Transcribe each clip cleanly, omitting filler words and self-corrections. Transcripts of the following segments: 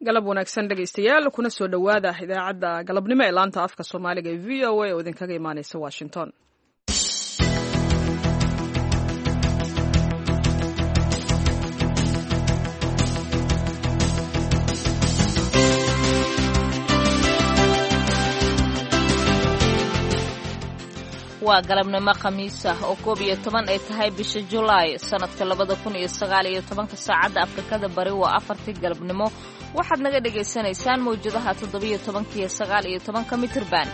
Galab wanaagsan, dhegaystayaal, kuna soo dhowaada idaacadda galabnimo ee laanta afka Soomaaliga ee VOA oo idinkaga imaanaysa Washington. Waa galabnimo Khamiis ah oo 11 ay tahay bisha Julaay sanadka 2019-ka. Saacadda Afrikada Bari waa 4-tii galabnimo. Waxaad naga dhagaysanaysaan mawjadaha 17-ka iyo 19-ka mitirban.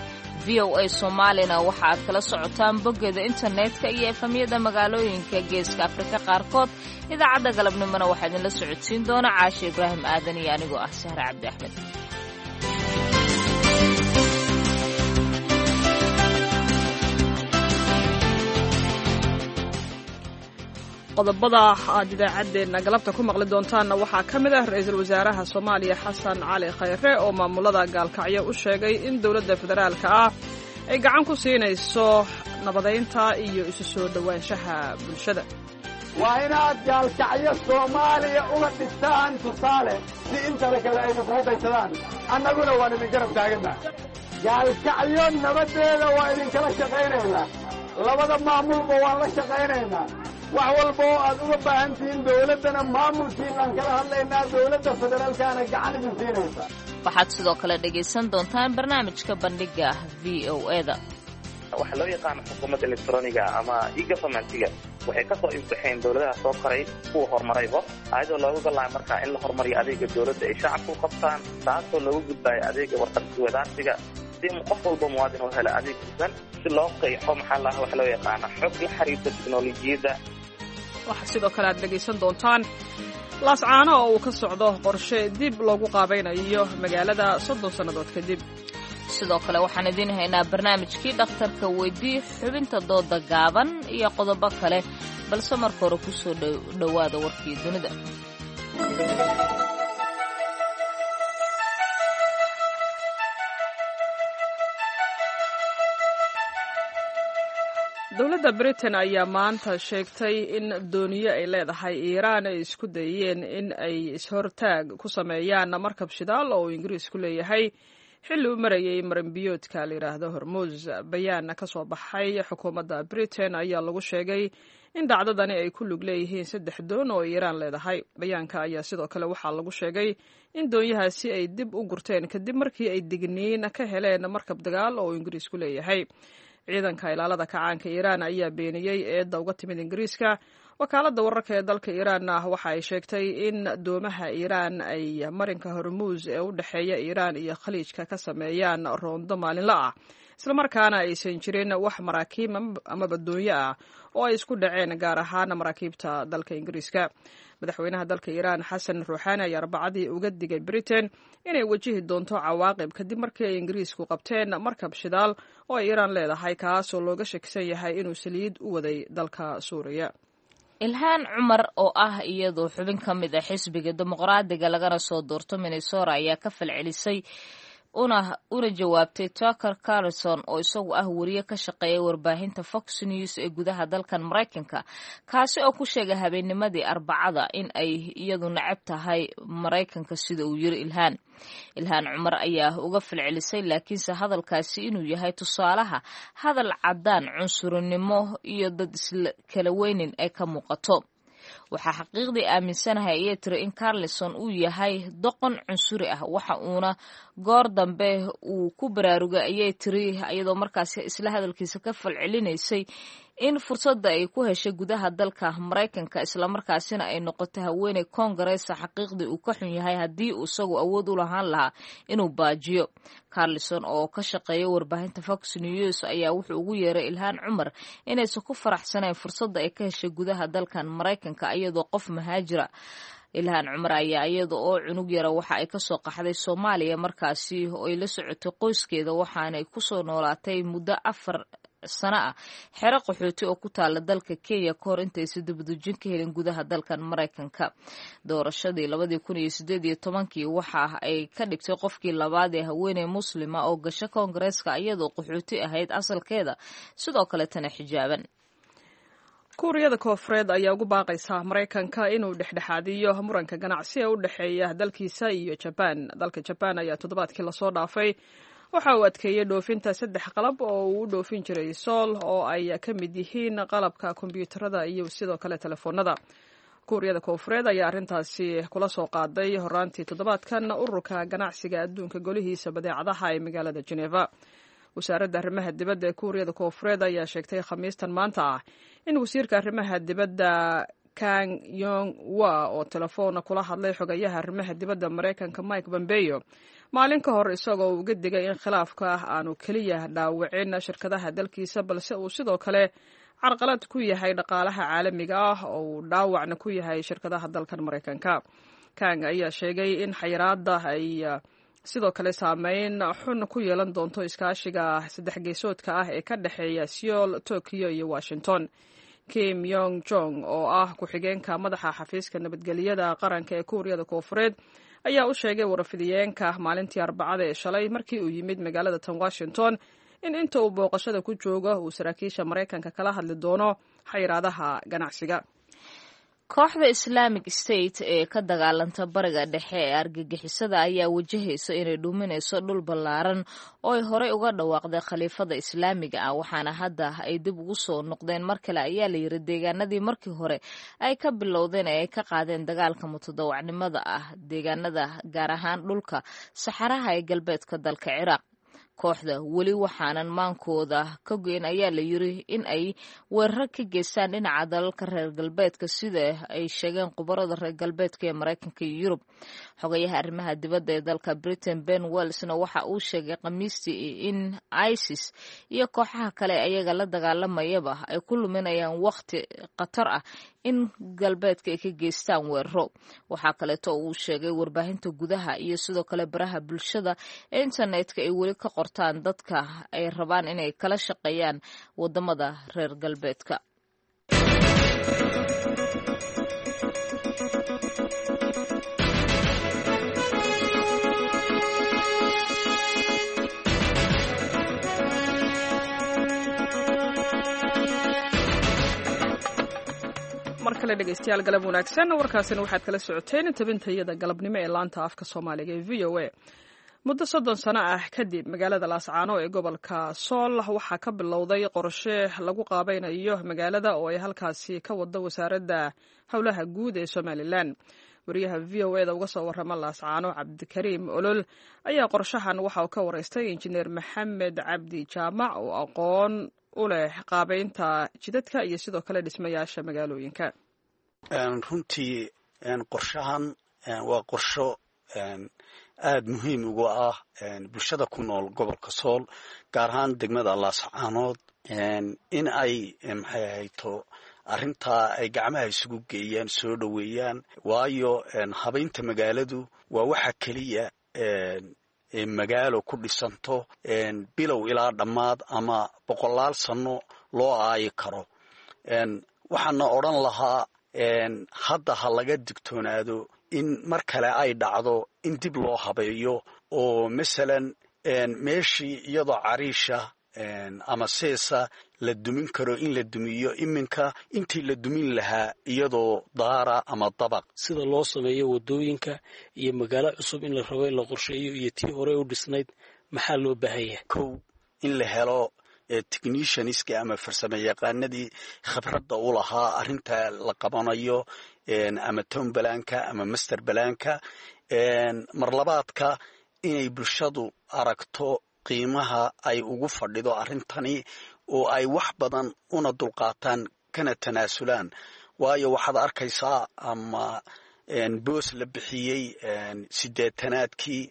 VOA Soomaalina waxa aad kala socotaan boggeeda internetka iyo efamyada magaalooyinka Geeska Afrika qaarkood. Idaacadda galabnimona waxaa idinla socodsiin doona Caashe Ibraahim Aadan iyo anigoo ah Sahre Cabdi Axmed. Qodobada aad idaacaddeenna galabta ku maqli doontaanna waxaa ka mid ah ra-iisul wasaaraha Soomaaliya Xasan Cali Khayre oo maamulada Gaalkacyo u sheegay in dowladda federaalka ah ay gacan ku siinayso nabadaynta iyo isu soo dhowaanshaha bulshada. Waa inaad Gaalkacyo Soomaaliya uga dhigtaan tusaale si intale kale ayna kugu daysadaan. Annaguna waan idin garab taaganna. Gaalkacyo nabaddeeda waa idinkala shaqaynaynaa. Labada maamulba waan la shaqaynaynaa. Wax walba oo aad uga baahan tihiin dawladdana maamulkiinaan kala hadlaynaa, dawladda federaalkaana gacan idin siinaysa. Waxaad sidoo kale dhegaysan doontaan barnaamijka bandhiga VOA-da. Waxaa loo yaqaana xukuumadda electroniga ama e-governmentiga waxay ka soo ifbaxeen dawladaha soo koray, kuwa horumarayba, ayadoo looga golaaya markaa in la horumariyo adeega dawladda ay shacabku qabtaan, taasoo looga gudbaayo adeega warqadwadaarsiga si qof walba muwaadin u helo adeeg hufan, si loo qeexo maxaa laha waxa loo yaqaana xog la xiriirta teknolojiyadda. Waxaa sidoo kale aad dhegaysan doontaan Laascaano oo uu ka socdo qorshe dib loogu qaabaynayo magaalada 30 sannadood kadib. Sidoo kale waxaan idiin haynaa barnaamijkii dhakhtarka weydii, xubinta dooda gaaban iyo qodobo kale, balse marka hore ku soo dhowaada warkii dunida. Dowladda Britain ayaa maanta sheegtay in dooniyo ay leedahay Iiraan ay isku dayeen in ay is-hortaag ku sameeyaan markab shidaal oo uu Ingiriisku leeyahay xilli u marayay maranbiyoodka la yidhaahdo Hormuus. Bayaan ka soo baxay xukuumadda Britain ayaa lagu sheegay in dhacdadani ay ku lug leeyihiin saddex doon oo Iiraan leedahay. Bayaanka ayaa sidoo kale waxaa lagu sheegay in doonyahaasi ay dib u gurteen kadib markii ay digniin ka heleen markab dagaal oo uu Ingiriisku leeyahay. Ciidanka ilaalada kacaanka Iiraan ayaa beeniyey eedda uga timid Ingiriiska. Wakaaladda wararka ee dalka Iiraanna waxa ay sheegtay in doomaha Iiraan ay marinka Hormuus ee u dhexeeya Iiraan iyo Khaliijka ka sameeyaan roondo maalinla ah, islamarkaana aysan jirin wax maraakiib ama badoonyo ah oo ay isku dhaceen, gaar ahaan maraakiibta dalka Ingiriiska. Madaxweynaha dalka Iiraan Xasan Ruuxaani ayaa Arbacadii uga digay Britain inay wajihi doonto cawaaqib kadib markii ay Ingiriisku qabteen markab shidaal oo ay Iiraan leedahay, kaasoo looga shakisan yahay inuu saliid u waday dalka Suuriya. Ilhaan Cumar oo ah iyadoo xubin ka mid ah xisbiga Dimuqraadiga lagana soo doorto Minnesota ayaa ka falcelisay una jawaabtay Tucker Carlson oo isagu ah wariye ka shaqeeya warbaahinta Fox News ee gudaha dalkan Maraykanka, kaasi oo ku sheegay habeennimadii Arbacada in ay iyadu necab tahay Maraykanka, sida uu yiri Ilhaan. Ilhaan Cumar ayaa uga falcelisay laakiinse hadalkaasi inuu yahay tusaalaha hadal caddaan cunsurinimo iyo dad isla kala weynin ay ka muuqato. Waxaa xaqiiqdii aaminsanahay, ayay tiri, in Carlison uu yahay doqon cunsuri ah, waxa uuna goor dambe uu ku baraarugay, ayay tiri, iyadoo markaasi isla hadalkiisa ka falcelinaysay, in fursadda ay ku heshay gudaha dalka Maraykanka islamarkaasina ay noqotay haweeney koongareesa xaqiiqdii uu ka xun yahay haddii uu isagu awood u lahaan lahaa inuu baajiyo. Carlison oo ka shaqeeya warbaahinta Fox News ayaa wuxuu ugu yeeray Ilhaan Cumar inaysan ku faraxsanayn fursadda ay ka heshay gudaha dalkan Maraykanka iyadoo qof mahaajira. Ilhaan Cumar ayaa iyada oo cunug yara waxa ay kasoo qaxday Soomaaliya markaasi oo ay la socotay qoyskeeda, waxaanay kusoo noolaatay muddo 4 sano ah xero qaxooti oo ku taala dalka Kenya ka hor intaysa dibadujin ka helin gudaha dalkan Maraykanka. Doorashadii 2018-kii waxa ay ka dhigtay qofkii labaad ee haweeney muslima oo gasho koongareeska iyadoo qaxooti ahayd asalkeeda, sidoo kaletana xijaaban. Kuuriyada Koofureed ayaa ugu baaqaysa Maraykanka inuu dhexdhexaadiyo muranka ganacsi ee u dhexeeya dalkiisa iyo Jabaan. Dalka Jabaan ayaa toddobaadkii lasoo dhaafay waxa uu adkeeyey dhoofinta 3 qalab oo uu u dhoofin jiray Sool, oo ay ka mid yihiin qalabka kombiyuutarada iyo sidoo kale telefoonada. Kuuriyada Koofureed ayaa arrintaasi kula soo qaaday horaantii toddobaadkan ururka ganacsiga adduunka golihiisa badeecadaha ee magaalada Geneva. Wasaaradda arrimaha dibadda ee Kuuriyada Koofureed ayaa sheegtay Khamiistan maanta ah in wasiirka arrimaha dibadda Kang Yong Wa oo telefoona kula hadlay xogayaha arrimaha dibadda Maraykanka Mike Pompeo maalin ka hor, isagoo uga digay in khilaafka aanu keliya dhaawicin shirkadaha dalkiisa, balse uu sidoo kale carqalad ku yahay dhaqaalaha caalamiga ah oo uu dhaawacna ku yahay shirkadaha dalkan Maraykanka. Kang ayaa sheegay in xayiraadda ay sidoo kale saameyn xun ku yeelan doonto iskaashiga saddex geesoodka ah ee ka dhexeeya Seoul, Tokyo iyo Washington. Kim Yong Jong oo ah ku-xigeenka madaxa xafiiska nabadgelyada qaranka ee Kuuriyada Koofureed ayaa u sheegay warfidiyeenka maalintii Arbacada ee shalay, markii uu yimid magaalada tan Washington, in inta uu booqashada ku joogo uu saraakiisha Maraykanka kala hadli doono xayiraadaha ganacsiga. Kooxda Islamic State ee ka dagaalanta Bariga Dhexe ee argagixisada ayaa wajahaysa inay dhuuminayso dhul ballaaran oo ay horey uga dhawaaqday khaliifada islaamiga ah, waxaana hadda ay dib ugu soo noqdeen mar kale, ayaa la yiri, deegaanadii markii hore ay ka bilowdeen ee ay ka qaadeen dagaalka mutadawacnimada ah, deegaanada gaar ahaan dhulka saxaraha ee galbeedka dalka Ciraaq. Kooxda weli waxaanan maankooda ka goyn, ayaa la yiri, in ay weerar ka geystaan dhinaca dalalka reer galbeedka, sida ay sheegeen khubarada reer galbeedka ee Maraykanka iyo Yurub. Xogayaha arrimaha dibadda ee dalka Britain Ben Wellsna waxa uu sheegay Khamiistii in ISIS iyo kooxaha kale ayaga la dagaalamayaba ay ku luminayaan wakhti khatar ah in galbeedka ay ka geystaan weeraro. Waxaa kaleeto uu sheegay warbaahinta gudaha iyo sidoo kale baraha bulshada ee internetka ay weli ka qortaan dadka ay rabaan inay kala shaqeeyaan wadamada reer galbeedka. Mar kale dhegeystayaal, galab wanaagsan. Warkaasina waxaad kala socoteen tabintayada galabnimo ee laanta afka Soomaaliga ee VOA. Muddo 30 sano ah kadib, magaalada Laascaano ee gobolka Sool waxaa ka bilowday qorshe lagu qaabaynayo magaalada oo ay halkaasi ka wado Wasaaradda Howlaha Guud ee Somalilan. Wariyaha VOA da uga soo warrama Laascaano, Cabdikariim Olol, ayaa qorshahan waxa uu ka wareystay Injineer Maxamed Cabdi Jaamac oo aqoon u leh qaabaynta jidadka iyo sidoo kale dhismayaasha magaalooyinka. Runtii qorshahan waa qorsho aada muhiim ugu ah bulshada ku nool gobolka Sool, gaar ahaan degmada Laascaanood, in ay maxay ahayto arrintaa ay gacmaha isugu geeyaan, soo dhoweeyaan, waayo habaynta magaaladu waa waxa keliya magaalo ku dhisanto bilow ilaa dhammaad ama boqolaal sano loo aayi karo. Waxaana odhan lahaa hadda ha laga digtoonaado in mar kale ay dhacdo in dib loo habeeyo, oo masalan meeshii iyadoo cariisha ama seesa la dumin karo in la dumiyo iminka intii la dumin lahaa iyadoo daara ama dabaq. Sida loo sameeyo wadooyinka iyo magaalo cusub in la rabo in la qorsheeyo iyo tii hore u dhisnayd, maxaa loo baahan yahay? Kow, in la helo technicianska ama farsamo yaqaanadii khibradda u lahaa arrinta la qabanayo, ama town balaanka ama master balaanka. Marlabaadka, inay bulshadu aragto qiimaha ay ugu fadhido arrintani oo ay wax badan una dulqaataan kana tanaasulaan, waayo waxaad arkaysaa ama boos la bixiyey 80-aadkii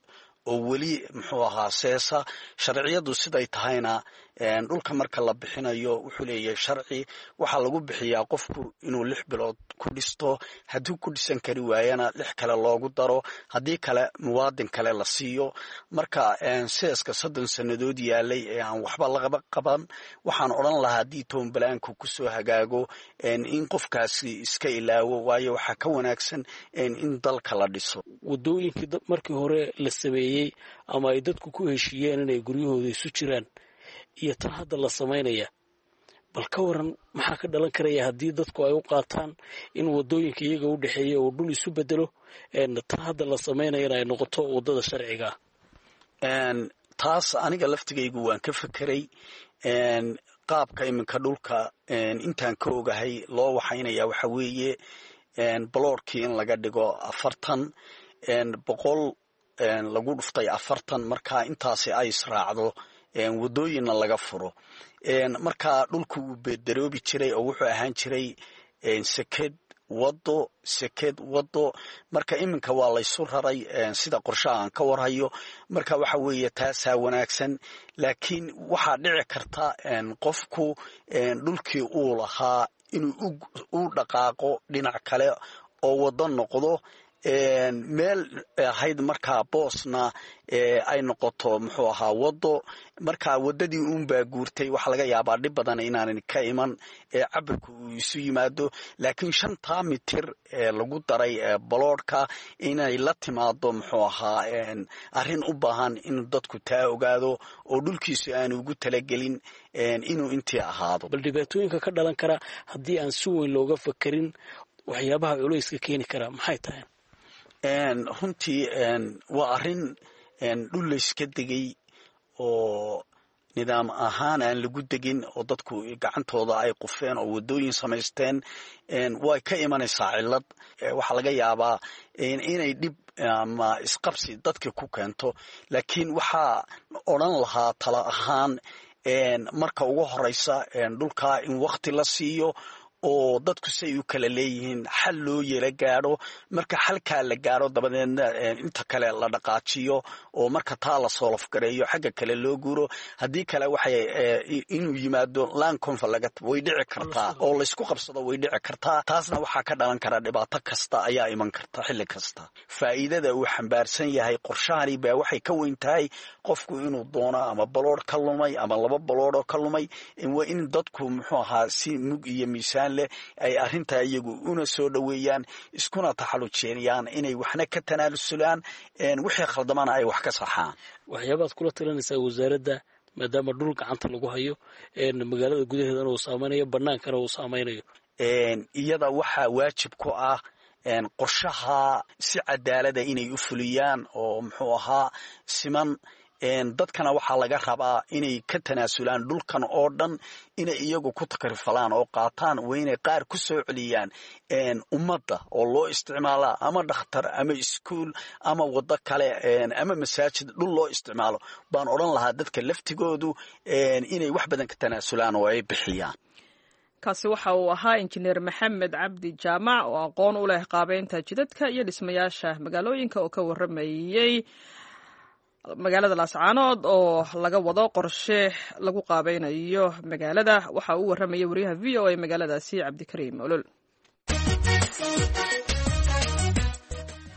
oo weli muxuu ahaa seesa. Sharciyadu siday tahayna, dhulka marka la bixinayo wuxuu leeyahay sharci. Waxaa lagu bixiyaa qofku inuu 6 bilood ku dhisto, haddii ku dhisan kari waayana 6 kale loogu daro, haddii kale muwaadin kale la siiyo. Marka seeska 30 sannadood yaalay ee aan waxba laqaba qaban, waxaan odhan lahaa haddii toonbalaanku kusoo hagaago in qofkaasi iska ilaawo, waayo waxaa ka wanaagsan in dalka la dhiso. Wadooyinkii markii hore la sameeyey ama ay dadku ku heshiiyeen inay guryahooda isu jiraan iyo tan hadda la samaynaya, Bal ka waran, maxaa ka dhalan karaya haddii dadku ay u qaataan in wadooyinka iyaga u dhexeeya uu dhul isu bedelo, tan hadda la samaynayana ay noqoto waddada sharciga ah? Taas aniga laftigaygu waan ka fekeray. Qaabka iminka dhulka intaan ka ogahay loo waxaynaya waxa weeye baloorkii in laga dhigo 40, 100 lagu dhuftay 40. Marka intaasi ay israacdo, wadooyinna laga furo. Marka dhulku wuu bedaroobi jiray oo wuxuu ahaan jiray seked, wado, seked, wado. Marka iminka waa laysu raray sida qorshaha aan ka warhayo. Marka waxa weeye taasaa wanaagsan, laakiin waxaa dhici karta qofku dhulkii uu lahaa inuu u dhaqaaqo dhinac kale oo wado noqdo, meel ahayd markaa boosna ay noqoto muxuu ahaa wado. Marka wadadii uunbaa guurtay. Waxaa laga yaabaa dhib badan inaanan ka iman cabirku uu isu yimaado, laakiin 5-taa mitir ee lagu daray baloodhka inay la timaado muxuu ahaa arrin u baahan inuu dadku taa ogaado oo dhulkiisu aanu ugu talagelin inuu intii ahaado. Bal dhibaatooyinka ka dhalan kara haddii aan si weyn looga fakerin, waxyaabaha culayska keeni karaa maxay tahay? Runtii waa arrin dhul layska degay oo nidaam ahaan aan lagu degin oo dadku gacantooda ay qufeen oo wadooyin samaysteen. Way ka imanaysaa cillad. Waxaa laga yaabaa inay dhib ama isqabsi dadka ku keento, laakiin waxaa odran lahaa tala ahaan, marka ugu horeysa dhulkaa in wakti la siiyo oo dadku say u kala leeyihiin xal loo yela gaadho. Marka xalkaa la gaadho dabadeedna inta kale la dhaqaajiyo, oo marka taa la solve gareeyo xagga kale loo guuro. Haddii kale waxay inuu yimaado land conflict way dhici kartaa oo laysku qabsado way dhici kartaa. Taasna waxaa ka dhalan kara dhibaato kasta ayaa iman karta xilli kasta. Faa'iidada uu xambaarsan yahay qorshahani baa waxay ka weyn tahay qofku inuu doono ama baloodh ka lumay ama laba baloodhoo ka lumay. Waa in dadku muxuu ahaa si mug iyo miisaan leh ay arrintaa iyagu una soo dhoweeyaan, iskuna taxallujeeniyaan, inay waxna ka tanaalusulaan, wixii khaldamana ay wax ka saxaan. Waxyaabaad kula talinaysaa wasaaradda, maadaama dhul gacanta lagu hayo, magaalada gudaheedana uu saameynayo, banaankana uu saameynayo? Iyada waxaa waajib ku ah qorshaha si cadaalada inay u fuliyaan oo muxuu ahaa siman. Dadkana waxaa laga rabaa inay ka tanaasulaan dhulkan oo dhan, inay iyagu ku takrifalaan oo qaataan. Waa inay qaar ku soo celiyaan ummadda oo loo isticmaalaa ama dhakhtar ama iskuul ama waddo kale ama masaajid dhul loo isticmaalo baan odhan lahaa, dadka laftigoodu inay wax badan ka tanaasulaan oo ay bixiyaan. Kaasi waxa uu ahaa Injineer Maxamed Cabdi Jaamac oo aqoon u leh qaabeynta jidadka iyo dhismayaasha magaalooyinka oo ka waramayey magaalada Laascaanood oo laga wado qorshe lagu qaabeynayo magaalada. Waxa uu warramayay wariyaha VOA magaaladaasi, Cabdikariim Olol.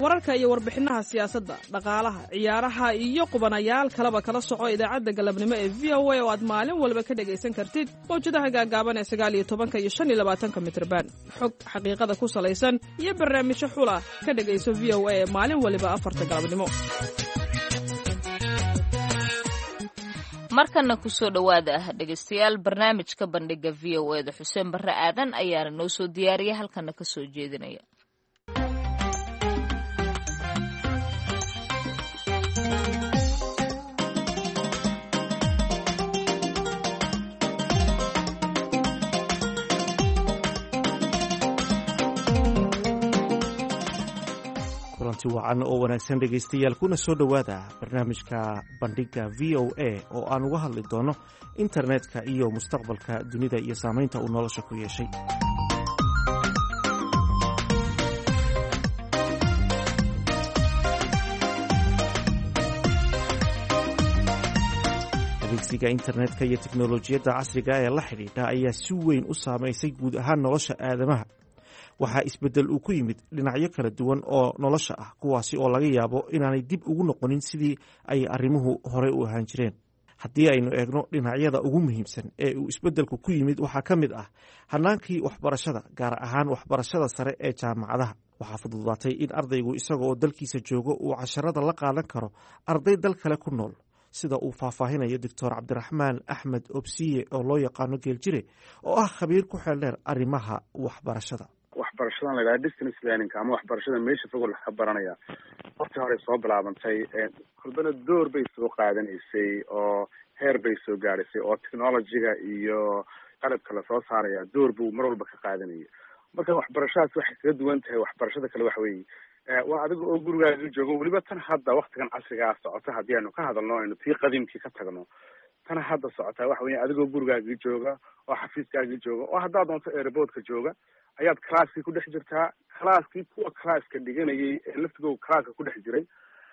Wararka iyo warbixinaha siyaasadda, dhaqaalaha, ciyaaraha iyo qubanayaal kaleba kala soco idaacadda galabnimo ee VOA oo aad maalin walba ka dhegaysan kartid mawjadaha gaagaaban ee 19-ka iyo 25-ka mitrban. Xog xaqiiqada ku salaysan iyo barnaamijyo xula ka dhegayso VOA ee maalin waliba 4-ta galabnimo. Markana kusoo dhowaada, dhegaystayaal, barnaamijka Bandhiga VOA-da. Xuseen Barre Aadan ayaana noo soo diyaariya, halkana ka soo jeedinaya. Kulanti wacan oo wanaagsan, dhegaystayaal, kuna soo dhowaada barnaamijka Bandhigga VOA oo aan uga hadli doono internetka iyo mustaqbalka dunida iyo saamaynta uu nolosha ku yeeshay. Adeegsiga internetka iyo teknolojiyadda casriga ee la xidhiidha ayaa si weyn u saamaysay guud ahaan nolosha aadamaha. Waxaa isbeddel uu ku yimid dhinacyo kala duwan oo nolosha ah, kuwaasi oo laga yaabo inaanay dib ugu noqonin sidii ay arrimuhu horey u ahaan jireen. Haddii aynu eegno dhinacyada ugu muhiimsan ee uu isbeddelku ku yimid, waxaa ka mid ah hannaankii waxbarashada, gaar ahaan waxbarashada sare ee jaamacadaha. Waxaa fududaatay in ardaygu isagaoo dalkiisa joogo uu casharada la qaadan karo arday dal kale ku nool. Sida uu faahfaahinayo Doctor Cabdiraxmaan Axmed Obsiye, oo loo yaqaano Geeljire, oo ah khabiir ku xeeldheer arrimaha waxbarashada. Waxbarashadan la yidhaha distance learning ama waxbarashada meesha fog laga baranaya, waqti horey soo bilaabantay, kolbana door bay soo qaadanaysay oo heer bay soo gaadhaysay, oo technology-ga iyo qalabka lasoo saaraya door buu mar walba ka qaadanayay. Marka waxbarashadaas waxay kaga duwan tahay waxbarashada kale waxa weeye, waa adiga oo gurigaaga joogo. Weliba tan hadda waktigan casrigaa socota, haddii aynu ka hadalno, aynu tii qadiimkii ka tagno, tan hadda socotaa waxa weya adigoo gurigaagii jooga oo xafiiskaagii jooga oo haddaad doonto airportka jooga ayaad classkii ku dhex jirtaa. Classkii kuwa classka dhiganayay ee laftigooda classka ku dhex jiray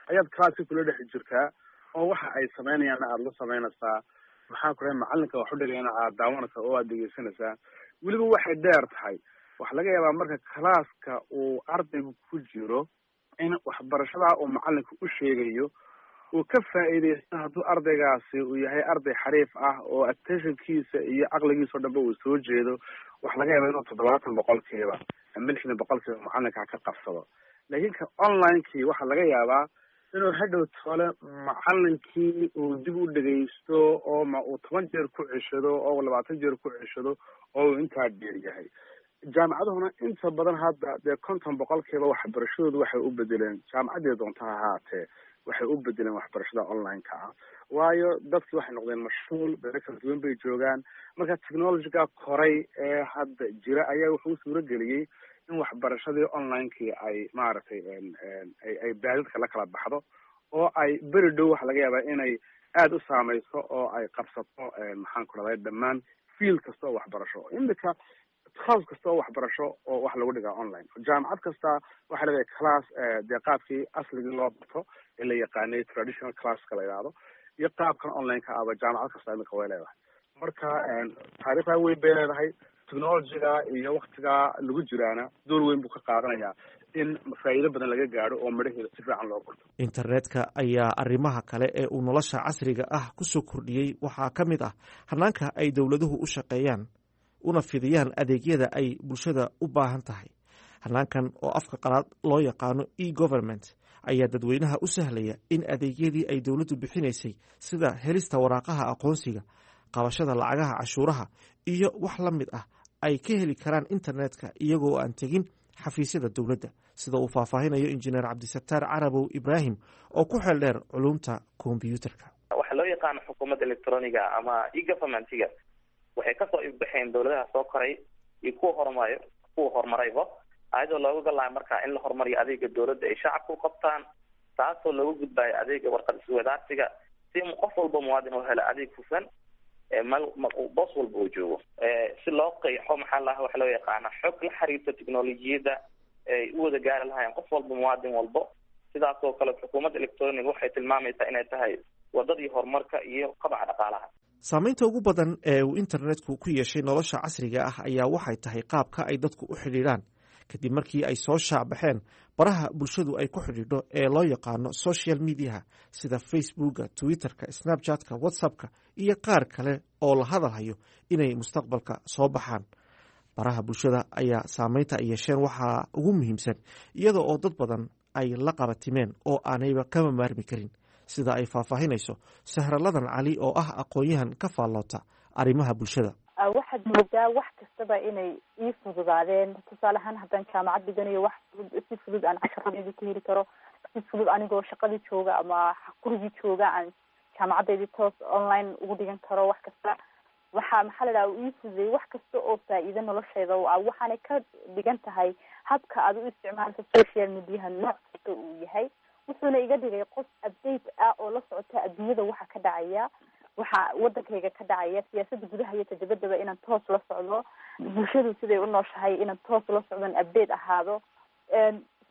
ayaad classkii kula dhex jirtaa, oo waxa ay samaynayaanna aada la samaynaysaa, maxaa ku dhahay, macalinka wax u dhigayana aad daawanaysaa oo aad dhegeysanaysaa. Weliba waxay dheer tahay, waxaa laga yaabaa marka classka uu ardaygu ku jiro in waxbarashadaa uu macalinka u sheegayo uu ka faa'iidaysto, hadduu ardaygaasi uu yahay arday xariif ah oo attentionkiisa iyo caqligiisa o dhanba uu soo jeedo, waxaa laga yaabaa inuu 70% ama 60% macalinkaa ka qabsado. Laakiin ka online-kii waxaa laga yaabaa inuu hadhow tole macalinkii uu dib u dhegaysto oo ma uu 10 jeer ku ceshado oo 20 jeer ku ceshado oo uu intaa dheer yahay. Jaamacaduhuna inta badan hadda dee 50% waxbarashadoodu waxay u bedeleen, jaamacaddii doonta ha ahaatee, waxay u bedeleen waxbarashada online-ka ah, waayo dadki waxay noqdeen mashhuul, beero kala duwan bay joogaan. Marka technology-ga koray ee hadda jira ayaa wuxuu u suuro geliyey in waxbarashadii online-kii ay maaragtay ay baadadka la kala baxdo, oo ay beri dhow waxa laga yaabaa inay aada u saameyso oo ay qabsato, maxaan ku rahday, dhammaan field kasta oo waxbarasho. Imika class kasta oo waxbarasho oo wax lagu dhigaa online, jaamacad kasta waxay leedahay class dee qaabkii asligii loo barto ee la yaqaanay, traditional classka la yidhaahdo, iyo qaabkan online-ka ahba jaamacad kasta imika way leedahay. Marka taariikhdaa weyn bay leedahay, technology-ga iyo waktigaa lagu jiraana door weyn buu ka qaadanayaa in faa'iido badan laga gaadho oo midhaheeda si fiican loo gurto. Internetka ayaa arrimaha kale ee uu nolosha casriga ah ku soo kordhiyey waxaa ka mid ah hanaanka ay dowladuhu u shaqeeyaan una fidiyaan adeegyada ay bulshada u baahan tahay. Hanaankan oo afka qalaad loo yaqaano e government ayaa dadweynaha u sahlaya in adeegyadii ay dowladdu bixinaysay, sida helista waraaqaha aqoonsiga, qabashada lacagaha cashuuraha iyo wax la mid ah, ay ka heli karaan internetka iyagoo aan tegin xafiisyada dowladda, sida uu faahfaahinayo Injineer Cabdisataar Carabow Ibraahim oo ku xeel dheer culumta kombyuutarka. Waxaa loo yaqaano xukuumadda electroniga ama e-governmentiga waxay kasoo ifbaxeen dawladaha soo koray iyo kuwa horumarayo, kuwa horumarayba, ayadoo looga galayo markaa in la horumariyo adeega dawladda ay shacabka u qabtaan, taasoo looga gudbayo adeega warqad iswadaarsiga, si qof walba muwaadin u helo adeeg hufan boos walba uu joogo, si loo qeexo maxaa laha waxa loo yaqaana xog la xiriirta technolojiyadda ay u wada gaari lahaayeen qof walba, muwaadin walbo. Sidaas oo kale xukuumadda electroniga waxay tilmaamaysaa inay tahay wadadii horumarka iyo kobaca dhaqaalaha. Saameynta ugu badan ee uu internetku ku yeeshay nolosha casriga ah ayaa waxay tahay qaabka ay dadku u xidhiidhaan, kadib markii ay soo shaacbaxeen baraha bulshadu ay ku xidhiidho ee loo yaqaano social mediaha, sida Facebooka, Twitterka, Snapchatka, WhatsAppka iyo qaar kale oo la hadalhayo inay mustaqbalka soo baxaan. Baraha bulshada ayaa saameynta ay yeesheen waxaa ugu muhiimsan iyada oo dad badan ay la qabatimeen oo aanayba kama maarmi karin, sida ay faahfaahinayso Sahraladan Cali oo ah aqoon-yahan ka faalloota arrimaha bulshada. Waxaad moodaa wax kastaba inay ii fududaadeen. Tusaale ahaan, haddaan jaamacad dhiganayo, wax fudud, si fudud aan casharadeyda ku heli karo, si fudud anigoo shaqadii jooga ama gurigii jooga aan jaamacadeydii toos online ugu dhigan karo. Wax kasta waxa maxaa la dhaha ii fududeeyay, wax kasta oo faa'iido noloshayda u ah. Waxaanay ka dhigan tahay habka aad u isticmaalka social mediaha nooc kasta uu yahay, wuxuuna iga dhigay qof update ah oo la socota adduunyada waxa ka dhacaya, waxa wadankayga ka dhacaya, siyaasadda gudaha iyo tadabadaba inaan toos la socdo, bulshadu siday u nooshahay inaan toos la socdon, update ahaado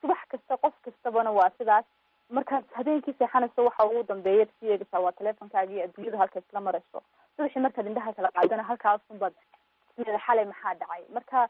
subax kasta. Qof kastabana waa sidaas. Markaad habeenkii seexanayso, waxa ugu dambeeya sii eegaysaa waa teleefonkaaga iyo adduunyadu halka isla marayso. Subaxii markaad indhaha kala qaadana, halkaasunbaad sida xalay maxaa dhacay. Marka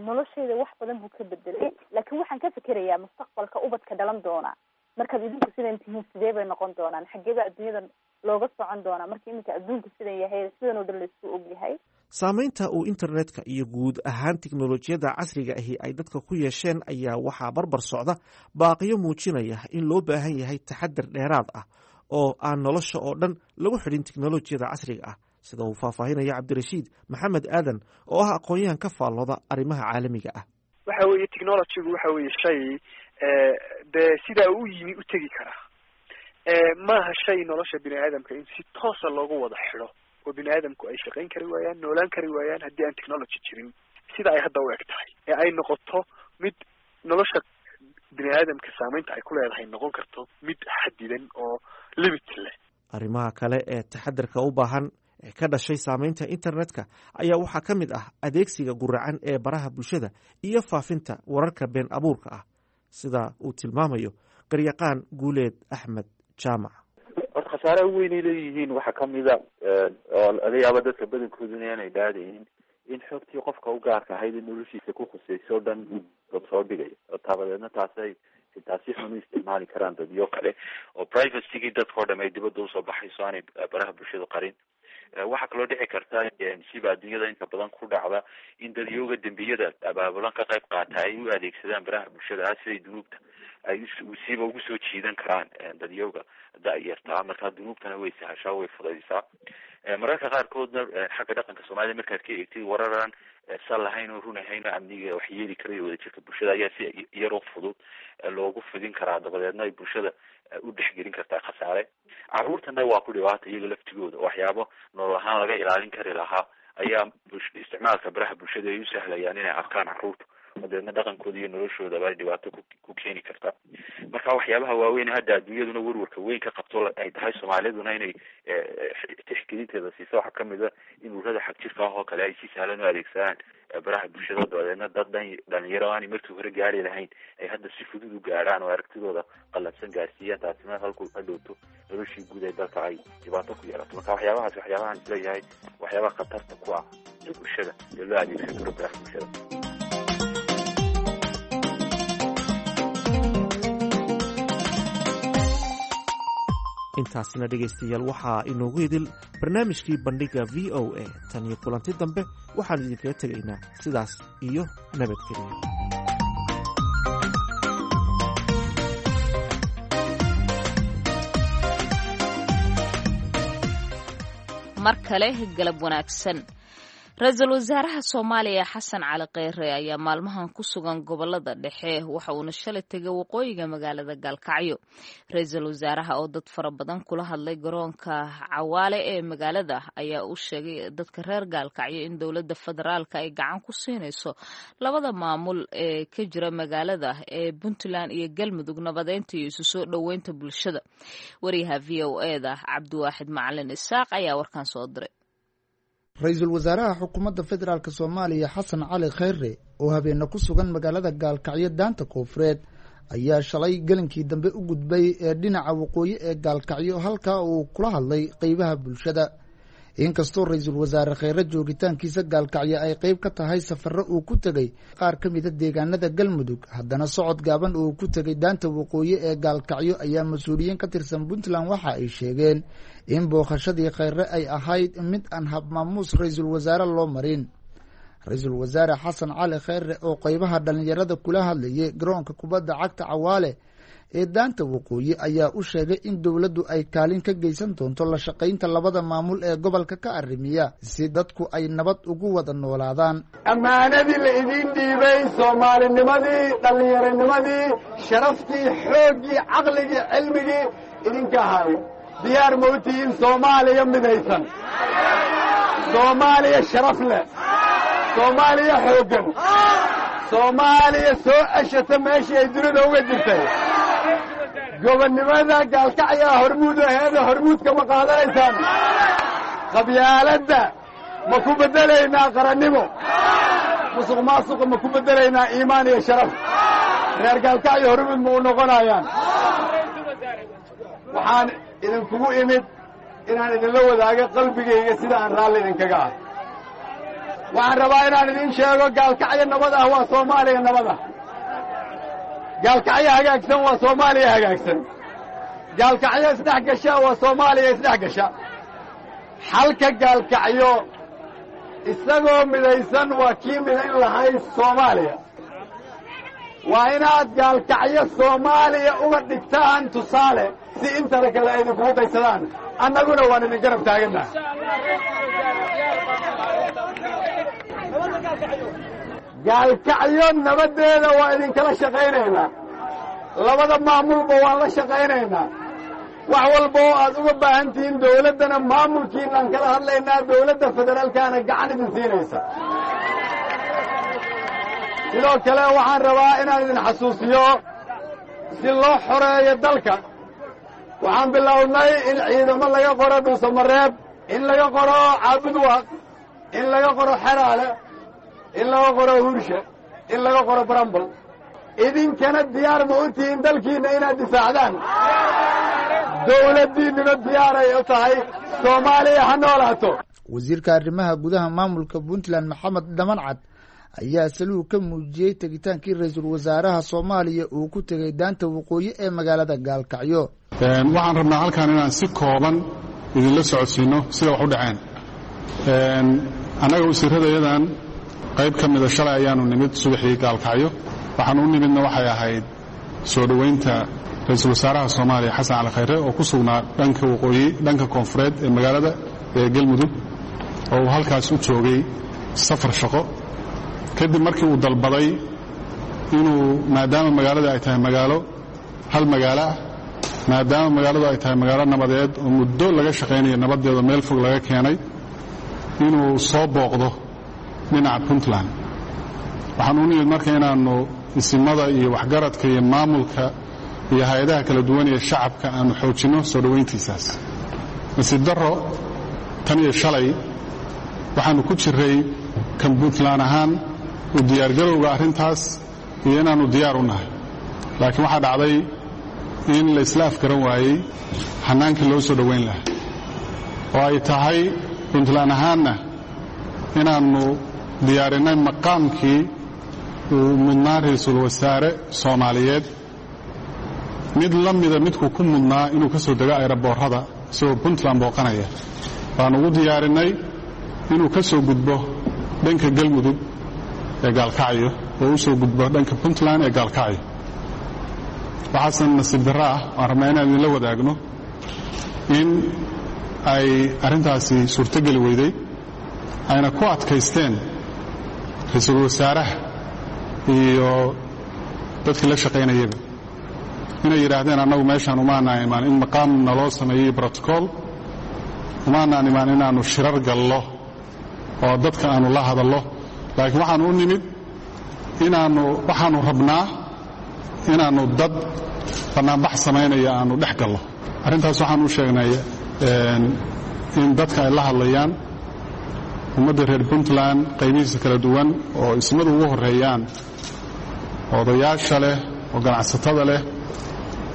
noloshayda wax badan buu ka bedelay, laakiin waxaan ka fikerayaa mustaqbalka ubadka dhalan doona. Markaad idinku sidan tihiin, sidee bay noqon doonaan? Xaggee baa adduunyada looga socon doonaa marka iminka adduunku sidan yahay, sidan oo dhan laisku ogyahay? Saameynta uu internetka iyo guud ahaan tiknolojiyadda casriga ahi ay dadka ku yeesheen ayaa waxaa barbar socda baaqiyo muujinaya in loo baahan yahay taxadar dheeraad ah oo aan nolosha oo dhan lagu xidhin teknolojiyada casriga ah, sida uu faahfaahinaya Cabdirashiid Maxamed Aadan oo ah aqoon-yahan ka faallooda arrimaha caalamiga ah. Waxa weeye technologygu waxa weeye shay dee sidaa u yimi u tegi karaa. Maaha shay nolosha bini aadamka in si toosa loogu wada xidho oo bini aadamku ay shaqayn kari waayaan, noolaan kari waayaan haddii aan technology jirin, sida ay hadda u eg tahay ee ay noqoto mid nolosha bini aadamka saameynta ay ku leedahay noqon karto mid xadidan oo limit leh. Arrimaha kale ee taxadarka u baahan ee ka dhashay saameynta internetka ayaa waxaa ka mid ah adeegsiga guracan ee baraha bulshada iyo faafinta wararka been abuurka ah, sida uu tilmaamayo qaryaqaan Guuleed Axmed Jaamac. Horta khasaaraha weynay leeyihiin waxaa kamida oo laga yaaba dadka badankooduna inay dhaadaynin in xogtii qofka u gaarka ahayd in noloshiisa ku khusayso o dhan dad soo dhigay, taabadeedna taasay xitaa si xun u isticmaali karaan dadyo kale oo privacygii dadka o dham ay dibadda usoo baxayso, aanay baraha bulshada qarin. Waxaa kaloo dhici karta, siba adduunyada inta badan ku dhacda, in dadyooga dembiyada abaabulan ka qayb qaata ay u adeegsadaan baraha bulshada ah siday dunuubta ay siba ugu soo jiidan karaan dadyooga da-yartaa. Markaa dunuubtana way sahashaa, way fudaysaa. Mararka qaarkoodna xagga dhaqanka Soomaalida markaad ka eegtid, wararaan sal lahayn oo run ahayn oo amniga wax yeeli karayo wadajirka bulshada ayaa si yaroo fudud loogu fidin karaa, dabadeedna ay bulshada u dhexgelin kartaa khasaare. Carruurtana waa ku dhibaata iyaga laftigooda, waxyaabo nolol ahaan laga ilaalin kari lahaa ayaa isticmaalka baraha bulshada ay u sahlayaan inay arkaan carruurta, dabeedna dhaqankooda iyo noloshoodaba ay dhibaato ku keeni karta. Marka waxyaabaha waaweyn hadda adduunyaduna warwarka weyn ka qabto ay tahay Soomaaliduna inay tixgelinteeda siiso waxaa kamid a in ururada xagjirka ah oo kale ay si sahlan u adeegsadaan baraha bulshada, dabadeedna dad dhalinyaro aanay markii hore gaari lahayn ay hadda si fudud u gaadhaan oo aragtidooda qalabsan gaarsiiyaan, taasina halku hadhowto noloshii guud ee dalka ay dhibaato ku yeelato. Marka waxyaabahaas waxyaabahaan isleeyahay waxyaabaha khatarta ku ah ee bulshada ee loo adeegsan karo baraha bulshada. Intaasina dhegaystayaal waxaa inoogu idil barnaamijkii Bandhiga VOA. Tan iyo kulanti dambe, waxaan idinkaga tegaynaa sidaas iyo nabadgeliyo. Mar kale galab wanaagsan. Ra-iisul wasaaraha Soomaaliya Xasan Cali Kheyre ayaa maalmahan ku sugan gobolada dhexe, waxa uuna shalay tegay waqooyiga magaalada Gaalkacyo. Ra-iisul wasaaraha oo dad fara badan kula hadlay garoonka Cawaale ee magaalada ayaa u sheegay dadka reer Gaalkacyo in dowladda federaalka ay gacan ku siinayso labada maamul ee ka jira magaalada ee Puntland iyo Galmudug nabadeynta iyo isu soo dhoweynta bulshada. Wariyaha VOA-da Cabdiwaaxid Macalin Isaaq ayaa warkan soo diray. Ra-iisul wasaaraha xukuumadda federaalk Soomaaliya Xasan Cali Kheyre oo habeena ku sugan magaalada Gaalkacyo daanta koonfureed ayaa shalay gelinkii dambe u gudbay ee dhinaca waqooyi ee Gaalkacyo, halkaa uu kula hadlay qeybaha bulshada. Inkastoo ra-iisul wasaare Kheyre joogitaankiisa Gaalkacyo ay qeyb ka tahay safarro uu ku tegey qaar ka mida deegaanada Galmudug, haddana socod gaaban uu ku tegey daanta waqooyi ee Gaalkacyo ayaa mas-uuliyiin ka tirsan Puntland waxa ay sheegeen in booqashadii Kheyre ay ahayd mid aan habmaamuus ra-iisul wasaare loo marin. Ra-iisul wasaare Xasan Cali Kheyre oo qeybaha dhallinyarada kula hadlayay garoonka kubadda cagta Cawaale ee daanta waqooyi ayaa u sheegay in dowladdu ay kaalin ka geysan doonto la shaqaynta labada maamul ee gobolka ka arrimiya si dadku ay nabad ugu wada noolaadaan. Ammaanadii la idiin dhiibay, soomaalinimadii, dhallinyaronimadii, sharaftii, xooggii, caqligii, cilmigii idinka ahaay, diyaar ma u tihiin Soomaaliya midaysan, Soomaaliya sharaf leh, Soomaaliya xooggan, Soomaaliya soo ceshata meeshii ay dunida uga jirtay? Gobonnimada Gaalkacyaa hormuud aheeda, hormuudka ma qaadanaysaan? Qabyaaladda ma ku beddelaynaa qarannimo? Musuq maasuqa ma ku beddelaynaa iimaan iyo sharaf? Reer Gaalkacyo hormuud ma u noqonayaan? Waxaan idinkugu imid inaan idinla wadaago qalbigayga sida aan raalli idinkaga ah. Waxaan rabaa inaan idin sheego, Gaalkacyo nabad ah waa Soomaaliya nabad ah. Gaalkacyo hagaagsan waa Soomaaliya hagaagsan. Gaalkacyo isdhex gasha waa Soomaaliya isdhex gasha. Xalka Gaalkacyo isagoo midaysan waa kii midayn lahayd Soomaaliya. Waa inaad Gaalkacyo Soomaaliya uga dhigtaan tusaale. Si intana kale ay idinkugu daysadaan, annaguna waan idin garab taagannaha. Gaalkacyo nabaddeeda waa idinkala shaqaynaynaa, labada maamulba waan la shaqaynaynaa. Wax walba oo aad uga baahan tihiin dawladdana maamulkiinaan kala hadlaynaa, dawladda federaalkaana gacan idin siinaysa. Sidoo kale waxaan rabaa inaan idin xasuusiyo, si loo xoreeyo dalka waxaan bilownay in ciidamo laga qoro Dhuusamareeb, in laga qoro Caabudwaaq, in laga qoro Xeraale, in laga qoro Hurshe, in laga qoro Barambal. Idinkana diyaar ma u tihiin dalkiinna inaad difaacdaan? Dawladdiinnuna diyaaray u tahay. Soomaaliya ha noolaato. Wasiirka arrimaha gudaha maamulka Puntland Maxamed Dhamancad ayaa saluug ka muujiyey tegitaankii ra-iisul wasaaraha Soomaaliya uu ku tegay daanta waqooyi ee magaalada Gaalkacyo. Waxaan rabnaa halkan inaan si kooban idinla socodsiino sida wax u dhaceen. Annaga wasiirradayadan qayb ka mida shalay ayaanu nimid subaxii Gaalkacyo. Waxaan u nimidna waxay ahayd soo dhoweynta ra-iisul wasaaraha Soomaaliya Xasan Cali Khayre oo ku sugnaa dhanka waqooyi, dhanka koonfureed ee magaalada ee Galmudug, oo uu halkaas u joogay safar shaqo, kadib markii uu dalbaday inuu, maadaama magaalada ay tahay magaalo hal magaalo ah, maadaama magaaladu ay tahay magaalo nabadeed oo muddo laga shaqaynayo nabaddeeda, meel fog laga keenay, inuu soo booqdo dhinaca Puntland. Waxaan u nimid marka inaannu isimada iyo waxgaradka iyo maamulka iyo hay-adaha kala duwan ee shacabka aanu xoojinno soo dhowayntiisaas. Nasiib darro, tan iyo shalay waxaannu ku jiray kan Puntland ahaan u diyaargarowga arrintaas iyo inaannu diyaar u nahay, laakiin waxaa dhacday in la isla afgaran waayey hannaankii loo soo dhowayn lahaa, oo ay tahay Puntland ahaanna inaannu diyaarinnay maqaamkii uu mudnaa ra-iisul wasaare Soomaaliyeed, mid la mida midkuu ku mudnaa inuu ka soo dego ayraboorrada isagoo Puntland booqanaya. Baanu ugu diyaarinnay inuu ka soo gudbo dhanka Galmudug ee Gaalkacyo oo u soo gudbo dhanka Puntland ee Gaalkacyo. Waxaasan nasiib darro ah waan rabnaa inaan idinla wadaagno in ay arrintaasi suurtogeli weyday, ayna ku adkaysteen ra-iisul wasaaraha iyo dadkii la shaqaynayaba inay yidhaahdeen, annagu meeshaan umaanaan imaan in maqaam naloo sameeyey brotocool, umaanaan imaan inaannu shirar gallo oo dadka aannu la hadallo, laakiin waxaannu u nimid inaannu waxaannu rabnaa inaannu dad bannaanbax samaynaya aannu dhex gallo. Arrintaas waxaan u sheegnay in dadka ay la hadlayaan ummadda reer Puntland qaybihiisa kala duwan, oo ismadu ugu horreeyaan, odayaasha leh oo ganacsatada leh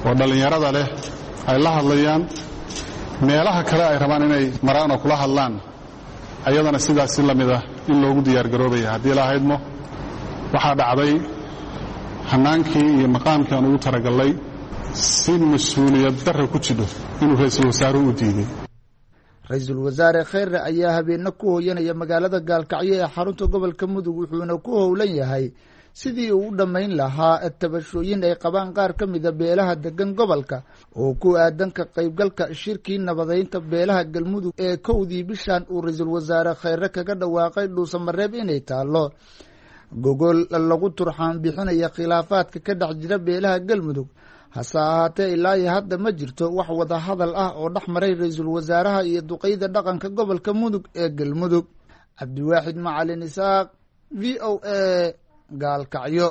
oo dhallinyarada leh ay la hadlayaan. Meelaha kale ay rabaan inay maraan oo kula hadlaan ayadana sidaas si la mid ah in loogu diyaargaroobaya haddii la haydmo. Waxaa dhacday hannaankii iyo maqaamkii aan ugu taragallay si mas-uuliyad darra ku jidho inuu ra-iisul wasaaruhu u diiday. Ra-iisul wasaare Kheyre ayaa habeena ku hooyanaya magaalada Gaalkacyo ee xarunta gobolka Mudug, wuxuuna ku howlan yahay sidii uu u dhammayn lahaa tabashooyin ay qabaan qaar ka mida beelaha degan gobolka oo ku aadan ka qaybgalka shirkii nabadeynta beelaha Galmudug ee 1dii bishan uu ra-iisul wasaare Kheyre kaga dhawaaqay Dhuusamareeb inay taallo gogol lagu turxaan bixinaya khilaafaadka ka dhex jira beelaha Galmudug. Hase ahaatee, ilaa iyo hadda ma jirto wax wada hadal ah oo dhex maray ra-iisul wasaaraha iyo duqeyda dhaqanka gobolka Mudug ee Galmudug. Cabdiwaaxid Macalin Isaaq, VOA, Gaalkacyo.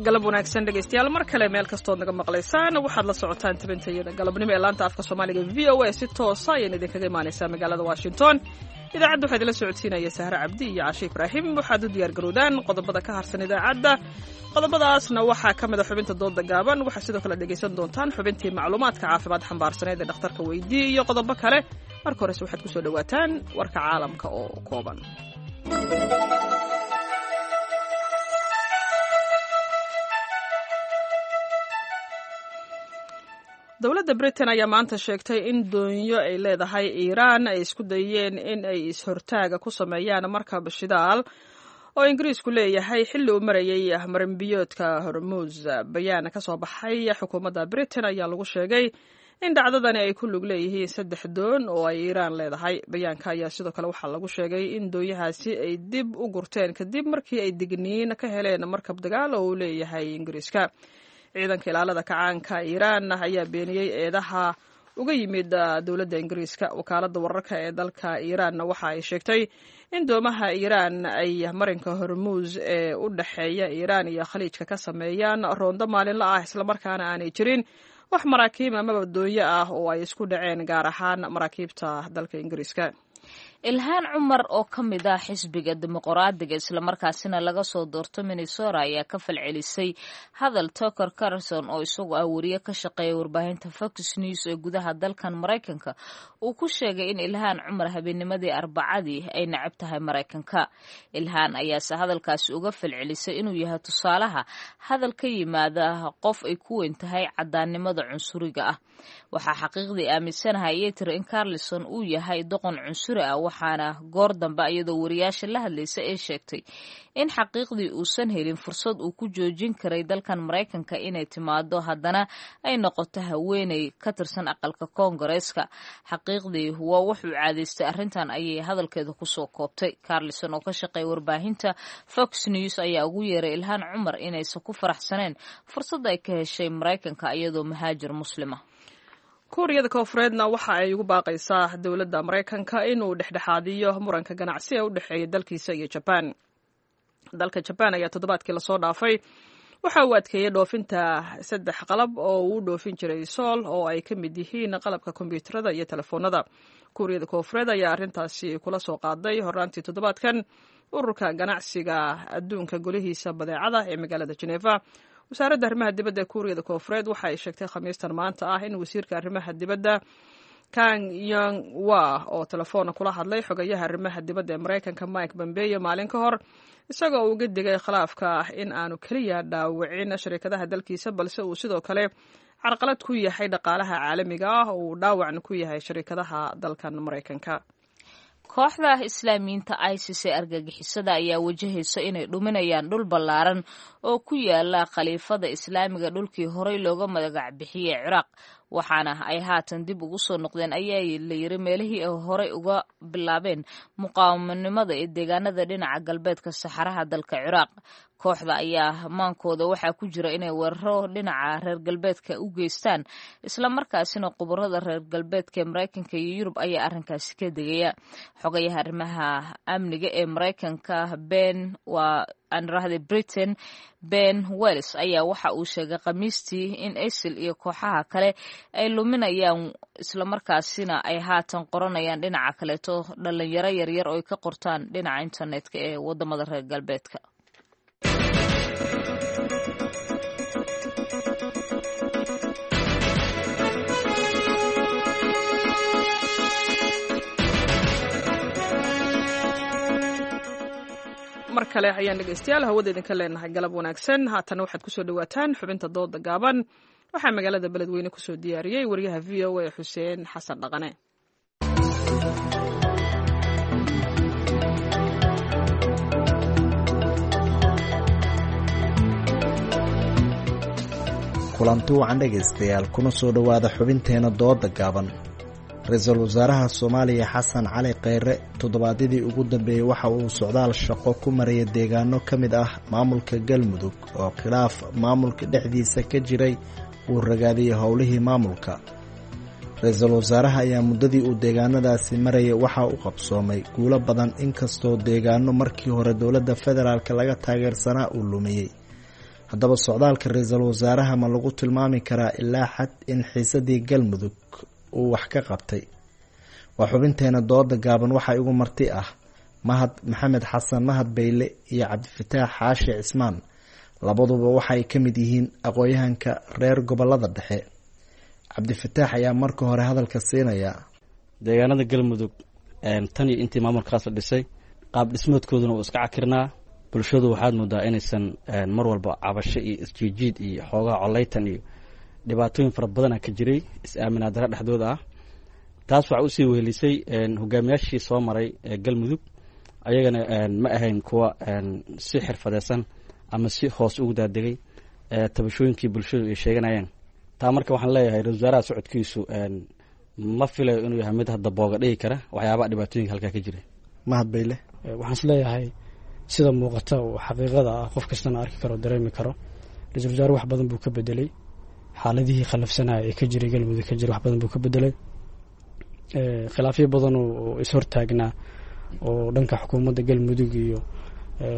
Galab wanaagsan dhegaystayaal, mar kale meel kastood naga maqlaysaan. Waxaad la socotaan tabintayada galabnimo ee laanta afka Soomaaliga VOA, si toosa ayayna idinkaga imaanaysaa magaalada Washington. Idaacadda waxaa idinla socodsiinaya Sahre Cabdi iyo Cashe Ibraahim. Waxaad u diyaar garowdaan qodobada ka harsan idaacadda. Qodobadaasna waxaa ka mid a xubinta dooda gaaban. Waxaad sidoo kale dhegaysan doontaan xubintii macluumaadka caafimaad xambaarsaneed ee dhakhtarka weydii iyo qodobo kale. Marka horese waxaad kusoo dhowaataan warka caalamka oo kooban. Dowladda Britain ayaa maanta sheegtay in doonyo ay leedahay Iiraan ay isku dayeen in ay is-hortaaga ku sameeyaan markab shidaal oo Ingiriisku leeyahay xilli uu marayay marinbiyoodka Hormuus. Bayaan ka soo baxay xukuumadda Britain ayaa lagu sheegay in dhacdadani ay ku lug leeyihiin 3 doon oo ay Iiraan leedahay. Bayaanka ayaa sidoo kale waxaa lagu sheegay in doonyahaasi ay dib u gurteen kadib markii ay digniin ka heleen markab dagaal oo uu leeyahay Ingiriiska. Ciidanka ilaalada kacaanka Iiraan ayaa beeniyey eedaha uga yimid dowladda Ingiriiska. Wakaaladda wararka ee dalka Iiraanna waxa ay sheegtay in doomaha Iiraan ay marinka Hormuus ee u dhexeeya Iiraan iyo Khaliijka ka sameeyaan roondo maalinla ah, islamarkaana aanay jirin wax maraakiib amaba doonyo ah oo ay isku dhaceen, gaar ahaan maraakiibta dalka Ingiriiska. Ilhaan Cumar oo ka mid ah xisbiga Dimuqraadiga islamarkaasina laga soo doorto Minnesota ayaa ka falcelisay hadal Tucker Carlson oo isagu ah wariye ka shaqeeya warbaahinta Fox News ee gudaha dalkan Maraykanka uu ku sheegay in Ilhaan Cumar habeennimadii Arbacadii ay nacab tahay Maraykanka. Ilhaan ayaase hadalkaasi uga falcelisay inuu yahay tusaalaha hadal ka yimaada qof ay ku weyn tahay caddaannimada cunsuriga ah. Waxaa xaqiiqdii aaminsanahay ayay tiri in Carlson uu yahay doqon cunsuri ah, waxaana goor dambe iyadoo wariyaasha la hadlaysa ee sheegtay in xaqiiqdii uusan helin fursad uu ku joojin karay dalkan Maraykanka inay timaado, haddana ay noqoto haweeney ka tirsan aqalka Koongareeska. Xaqiiqdii waa wuxuu caadaystay arrintan, ayay hadalkeeda kusoo koobtay. Carlson oo ka shaqeeya warbaahinta Fox News ayaa ugu yeeray Ilhaan Cumar inaysan ku faraxsaneen fursadda ay ka heshay Maraykanka iyadoo muhaajir muslima. Kuuriyada Koonfureedna waxa ay ugu baaqaysaa dowladda Maraykanka inuu dhexdhexaadiyo muranka ganacsi ee u dhexeeya dalkiisa iyo Jabaan. Dalka Jabaan ayaa toddobaadkii lasoo dhaafay waxa uu adkeeyey dhoofinta 3 qalab oo uu dhoofin jiray Sool, oo ay ka mid yihiin qalabka kombiyuutarada iyo telefoonada. Kuuriyada Koonfureed ayaa arrintaasi kula soo qaaday horraantii toddobaadkan ururka ganacsiga adduunka golihiisa badeecada ee magaalada Geneva. Wasaaradda arrimaha dibadda ee Kuuriyada Koonfureed waxa ay sheegtay Khamiistan maanta ah in wasiirka arrimaha dibadda Kang Yong Wa oo telefoon kula hadlay xogayaha arrimaha dibadda ee Maraykanka Mike Pompeo maalin ka hor, isagoo uga digay khilaafka in aanu keliya dhaawicin shirkadaha dalkiisa, balse uu sidoo kale carqalad ku yahay dhaqaalaha caalamiga ah oo uu dhaawacna ku yahay shirkadaha dalkan Maraykanka. Kooxda Islaamiyiinta ISIS ee argagixisada ayaa wajahaysa inay dhuminayaan dhul ballaaran oo ku yaala khaliifada Islaamiga dhulkii horey looga magac bixiyey Ciraaq, waxaana ay haatan dib ugu soo noqdeen ayaa la yiri meelihii ay horey uga bilaabeen muqaawamanimada ee deegaanada dhinaca galbeedka saxaraha dalka Ciraaq. Kooxda ayaa maankooda waxaa ku jira inay weeraro dhinaca reer galbeedka u geystaan, islamarkaasina khubarada reer galbeedka ee Maraykanka iyo Yurub ayaa arrinkaasi ka degaya. Xogayaha arrimaha amniga ee Maraykanka Ben waa anrahde Britain Ben Wells ayaa waxa uu sheegay Khamiistii in ISIL iyo kooxaha kale ay luminayaan islamarkaasina ay haatan qoranayaan dhinaca kaleeto dhalinyaro yaryar oo ay ka qortaan dhinaca internetka ee wadamada reer galbeedka. Mar kale ayaan dhegeystayaal hawada idinka leenahay galab wanaagsan. Haatana waxaad kusoo dhawaataan xubinta dooda gaaban. Waxaa magaalada Beledweyne kusoo diyaariyey wariyaha VOA Xuseen Xasan Dhaqane. Kulanti wacan dhegaystayaal, kuna soo dhowaada xubinteena dooda gaaban. Ra-iisul wasaaraha Soomaaliya Xasan Cali Kheyre toddobaadyadii ugu dambeeyey waxa uu socdaal shaqo ku marayay deegaano ka mid ah maamulka Galmudug oo khilaaf maamulka dhexdiisa ka jiray uu ragaadiyey howlihii maamulka. Ra-iisul wasaaraha ayaa muddadii uu deegaanadaasi marayay waxa uu qabsoomay guulo badan, inkastoo deegaano markii hore dowladda federaalk laga taageersanaa uu lumiyey. Haddaba socdaalka ra-iisul wasaaraha ma lagu tilmaami karaa ilaa xad in xiisadii Galmudug uu wax ka qabtay? Waa xubinteena dooda gaaban. Waxaa igu marti ah Mahad Maxamed Xasan Mahad Bayle iyo Cabdifataax Xaashi Cismaan. Labaduba waxaay ka mid yihiin aqoon-yahanka reer gobolada dhexe. Cabdifataax ayaa marka hore hadalka siinaya. Deegaanada Galmudug tan iyo intii maamulkaas la dhisay qaab dhismoodkooduna uu iska cakirnaa. Bulshadu waxaad moodaa inaysan mar walba cabasho iyo isjiijiid iyo xoogaha coleytan iyo Dhibaatooyin fara badana ka jiray, is-aaminaad dara dhexdooda ah. Taas waxaa usii wehelisay hogaamiyaashii soo maray Galmudug, ayagana ma ahayn kuwa si xirfadeysan ama si hoos ugu daadegay tabashooyinkii bulshadu ay sheeganayeen. Taa marka waxaan leeyahay, ra-isul wasaaraha socodkiisu ma filayo inuu yahay mid hadda booga dhigi kara waxyaabaha dhibaatooyinka halkaa ka jira. Mahad Bayle. Waxaan is leeyahay, sida muuqata oo xaqiiqada ah, qof kastana arki karo, dareemi karo, ra-isul wasaare wax badan buu ka bedelay xaaladihii khallafsanaya ee ka jiray Galmudug ka jiray. Wax badan buu ka bedelay khilaafyo badan oo is-hortaagnaa oo dhanka xukuumadda Galmudug iyo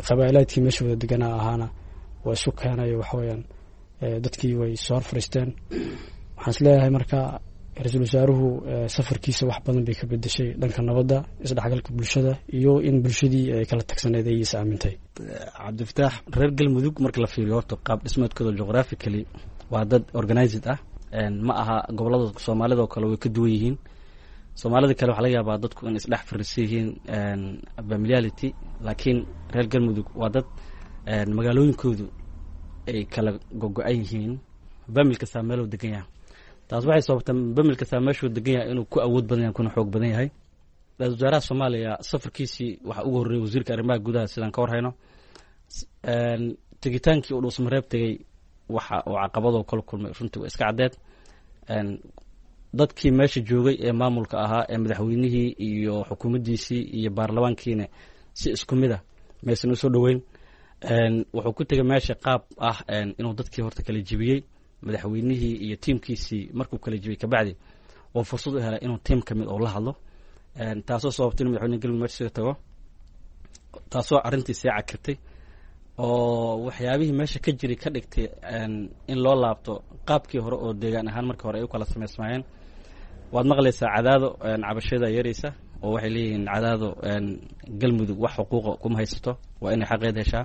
qabaa'ilaadkii meesha wada deganaa ahaana waa isu keenayo. Waxaweyaan, dadkii way soo hor fariisteen. Waxaan is leeyahay marka, ra-iisul wasaaruhu safarkiisa wax badan bay ka bedeshay dhanka nabadda, isdhexgalka bulshada iyo in bulshadii ay kala tagsaneed ay is aamintay. Cabdifataax. Reer Galmudug marka la fiiriyo horta qaab dhismeedkooda geographically waa dad organized ah. Ma aha gobolada Soomaalida oo kale, way ka duwan yihiin Soomaalida kale. Waxaa laga yaabaa dadku in isdhex fariisan yihiin, familiality, laakiin reer Galmudug waa dad magaalooyinkoodu ay kala gogo-an yihiin, famil kastaa meeluu degan yahay. Taas waxay sababtaa famil kastaa meeshuu degan yahay inuu ku awood badan yahay kuna xoog badan yahay. Ra-isul wasaaraha Soomaaliya safarkiisii waxaa ugu horreeyay wasiirka arrimaha gudaha, sidaan ka warhayno. Tegitaankii uu Dhuusmareeb tegey, waxa uu caqabadoo kala kulmay runtii waa iska caddeed. Dadkii meesha joogay ee maamulka ahaa ee madaxweynihii iyo xukuumaddiisii iyo baarlamaankiina si isku mid a maysan usoo dhoweyn. Wuxuu ku tegay meesha qaab ah inuu dadkii horta kala jibiyey, madaxweynihii iyo tiimkiisii. Markuu kala jibiyey kabacdi oo fursad u helay inuu tiim ka mid oo la hadlo, taasoo sababtay inuu madaxweyne Galmudug meesha tago, taasoo arrintii sii cakirtay oo waxyaabihii meesha ka jiray ka dhigtay in loo laabto qaabkii hore oo deegaan ahaan markii hore ay u kala samaysmaayeen. Waad maqlaysaa Cadaado cabashada yaraysa oo waxay leeyihiin Cadaado Galmudug wax xuquuqa kuma haysato, waa inay xaqeed heshaa.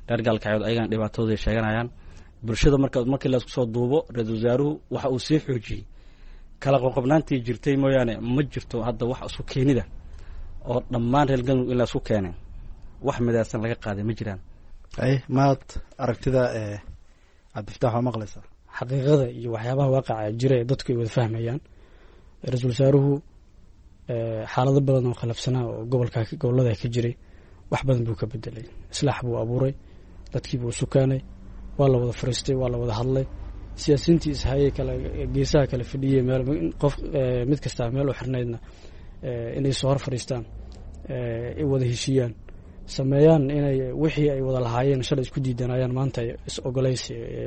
Reer Gaalkacyood ayagana dhibaatadooday sheeganayaan bulshada. Marka markii laisku soo duubo, ra-isul wasaaruhu waxa uu sii xoojiyey kala qoqobnaantii jirtay mooyaane, ma jirto hadda wax isku keenida oo dhammaan reer Galmudug in la isku keenay, wax midaysan laga qaaday ma jiraan. Ay mahad, aragtida Cabdifataax waa maqlaysaa. Xaqiiqada iyo waxyaabaha waaqaca jira ee dadku ay wada fahmayaan, ra-iisul wasaaruhu xaalado badan oo khalafsanaa oo gobolka gobolada ka jiray wax badan buu ka bedelay. Islaax buu abuuray, dadkii buu sukaanay, waa la wada fariistay, waa la wada hadlay. Siyaasiyiintii ishayay kala geesaha kala fadhiyey, meel qof mid kastaa meel u xirnaydna inay soo hor fadhiistaan, ay wada heshiiyaan, sameeyaan inay wixii ay wada lahaayeen shalay isku diidanayaan maanta ay is ogolays,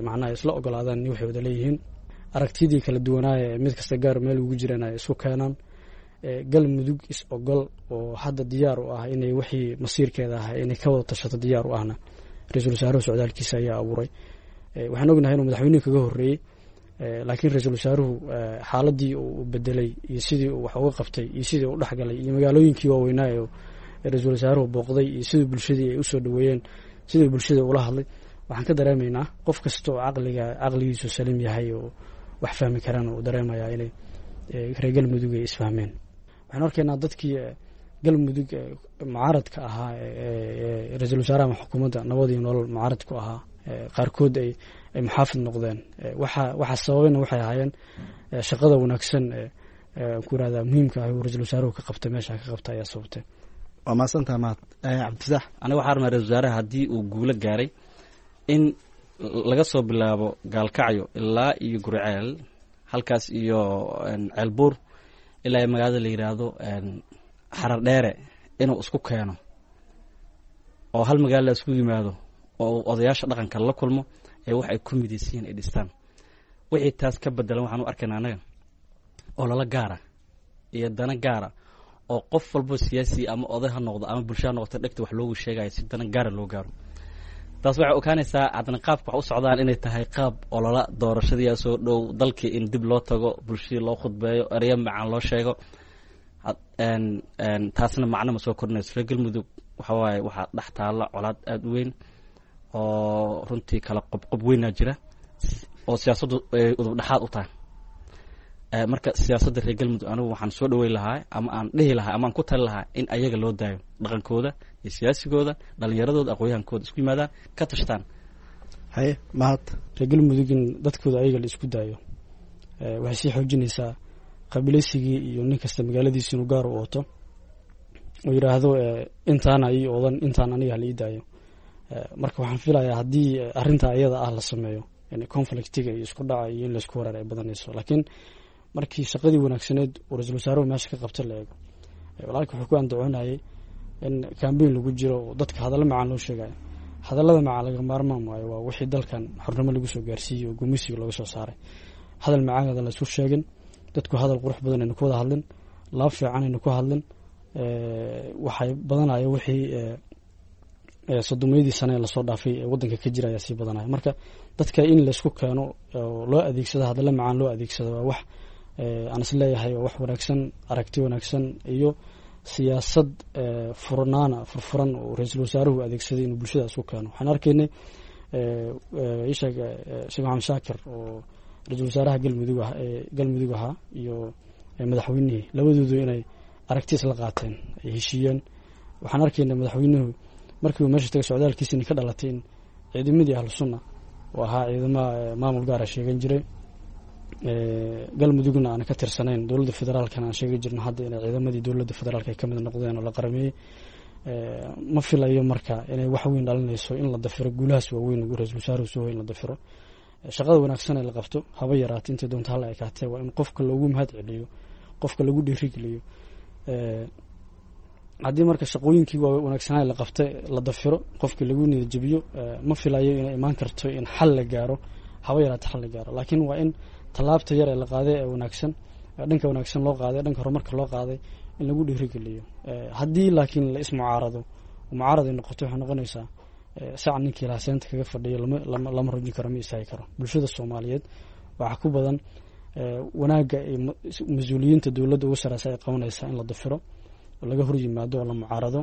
macnaha isla ogolaadaan waxay wada leeyihiin. Aragtidii kala duwanaaye mid kasta gaar meel ugu jiraan ay isku keenaan. Galmudug is ogol oo hadda diyaar u ah inay wixii masiirkeeda ah inay ka wada tashato diyaar u ahna, ra-iisul wasaaruhu socdaalkiisa ayaa abuuray. Waxaan ognahay inuu madaxweynuhu kaga horreeyey, laakiin ra-iisul wasaaruhu xaaladii uu bedelay iyo sidii uu wax uga qabtay iyo sidii uu dhexgalay iyo magaalooyinkii waaweynaa ee ra-iisul wasaaruhu booqday iyo sidii bulshadii ay usoo dhaweeyeen, sidii bulshada ula hadlay, waxaan ka dareemaynaa qof kasta oo caqliga caqligiisu saliim yahay oo wax fahmi karaan uu dareemayaa inay reer Galmudug ay isfahmeen. Waxaan arkaynaa dadkii Galmudug mucaaradka ahaa, ra-iisul wasaaraha ama xukuumadda Nabad iyo Nolol mucaaradku ahaa, qaarkood ay muxaafid noqdeen. Waxa sababayna waxay ahaayeen shaqada wanaagsan ku irahdaa muhiimka ah uu ra-iisul wasaaruhu ka qabtay meesha ka qabta ayaa sababtay. Waa mahadsantaha, Mahad. Cabdifataax. Aniga waxaa rabnaa ra-isul wasaaraha haddii uu guulo gaaray in laga soo bilaabo Gaalkacyo ilaa iyo Guriceel, halkaas iyo Ceelbuur, ilaa iyo magaalada la yidhaahdo Xarar Dheere, inuu isku keeno oo hal magaalo la isku yimaado oo uu odayaasha dhaqanka la kulmo ee wax ay ku midaysiyiin ay dhistaan. Wixii taas ka bedelan waxaan u arkaynaa annaga oo lala gaara iyo dana gaara oo qof walbo siyaasi ama oday ha noqdo ama bulsho ha noqoto dhegta wax loogu sheegayo si dana gaara loo gaaro. Taas waxay ogaanaysaa haddana qaabka wax u socdaan inay tahay qaab olola doorashadiyaa soo dhow, dalkii in dib loo tago, bulshadii loo khudbeeyo, ereyo macaan loo sheego. Taasna macno ma soo kordhinayso. Reer Galmudug waxa waaye waxaa dhex taalla colaad aada u weyn oo runtii kala qobqob weynaa jira oo siyaasaddu ay udub dhexaad u tahay. Marka siyaasadda reer Galmudug anigu waxaan soo dhaweyn lahaa ama aan dhihi lahaa ama aan ku tali lahaa in ayaga loo daayo dhaqankooda iyo siyaasigooda, dhalinyaradooda, aqoonyahankooda isku yimaadaan, ka tashtaan. Haye, Mahad. Reer Galmudug in dadkooda ayaga la isku daayo waxay sii xoojinaysaa qabiilaysigii iyo nin kasta magaaladiisa inuu gaar u ooto oo yidhaahdo intaana ii oodan, intaan aniga hala ii daayo. Marka waxaan filayaa haddii arrintaa iyada ah la sameeyo, conflictiga iyo isku dhaca iyo in laisku wareer ay badanayso. Laakiin markii shaqadii wanaagsaneed uu ra-iisul wasaaruhu meesha ka qabta la eego, walaalka wuxuu ku andacoonayay in cambaign lagu jiro oo dadka hadallo macaan loo sheegayo. Hadallada macaan laga maarmaan waayo, waa wixii dalkan xornimo lagu soo gaarsiiyey oo gumeysiga looga soo saaray. Hadal macaanada la isku sheegin, dadku hadal qurux badan aynu ku wada hadlin, laab fiican aynu ku hadlin, waxay badanaya wixii 30-yadii sane ee lasoo dhaafay ee waddanka ka jira ayaa sii badanaya. Marka dadka in laysku keeno oo loo adeegsado hadallo macaan loo adeegsado waa wax aan is leeyahay waa wax wanaagsan, aragti wanaagsan iyo siyaasad furnaana furfuran oo ra-iisul wasaaruhu adeegsaday inuu bulshada isku keeno. Waxaan arkaynay isheeg Sheekh Maxamed Shaakir oo ra-iisul wasaaraha Galmudug ah ee Galmudug ahaa iyo madaxweynihii, labadoodu inay aragti isla qaateen, ay heshiiyeen. Waxaan arkaynay madaxweynuhu markii uu meesha tagay socdaalkiisini ka dhalatay in ciidamadii Ahlu Sunna oo ahaa ciidamaha maamul gaara sheegan jiray, Galmudugna aan ka tirsanayn dowladda federaalkana aan sheegi jirno, hadda inay ciidamadii dowladda federaalka ay ka mid noqdeen oo la qarameeyey. Ma filayo marka inay wax weyn dhalinayso in la dafiro guulahaas waaweyn uu ra-iisul wasaaruhu soo hoy. In la dafiro shaqada wanaagsan ee la qabto, haba yaraata intay doonto hala ekaatee, waa in qofka loogu mahad celiyo, qofka lagu dhiirigeliyo. Haddii marka shaqooyinkii wanaagsanaa la qabtay la dafiro, qofkii lagu niyadjabiyo, ma filayo inay imaan karto in xal la gaaro, haba yaraata xal la gaaro. Laakiin waa in tallaabta yar ee la qaaday ee wanaagsan, dhanka wanaagsan loo qaaday, dhanka horumarka loo qaaday, in lagu dhiirigeliyo. Haddii laakiin la ismucaarado, mucaarad ay noqoto, waxay noqonaysaa sac ninkii lahaa seenta kaga fadhiyo lama rujin karo, ma istaagi karo. Bulshada Soomaaliyeed waxaa ku badan wanaagga ay mas-uuliyiinta dowladda ugu sareysa ay qabanaysaa in la dafiro oo laga hor yimaado oo la mucaarado,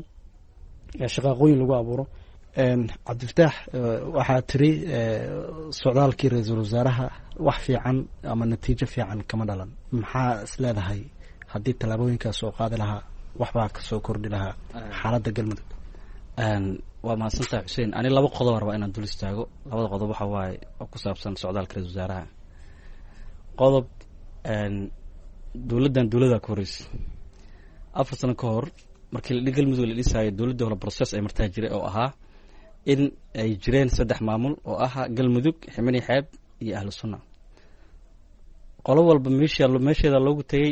shaqaaqooyin lagu abuuro. Cabdifataax, waxaa tiri socdaalkii ra-iisul wasaaraha wax fiican ama natiijo fiican kama dhalan. Maxaa is leedahay haddii tallaabooyinkaas oo qaadi lahaa waxbaa kasoo kordhi lahaa xaaladda Galmudug? Waa mahadsantahay, Xuseen. Ani laba qodob rabaa inaan dul istaago. Labada qodob waxa waaye oo ku saabsan socdaalka ra-isul wasaaraha. Qodob, dowladdan dowladdaa ka horreysay 4 sano ka hor markii Galmudug la dhisaayo, dowladdii hore process ay martaa jiray oo ahaa in ay jireen saddex maamul oo ahaa Galmudug, Ximani Xeeb iyo Ahlu Sunna. Qolo walba meesha meesheeda loogu tegey,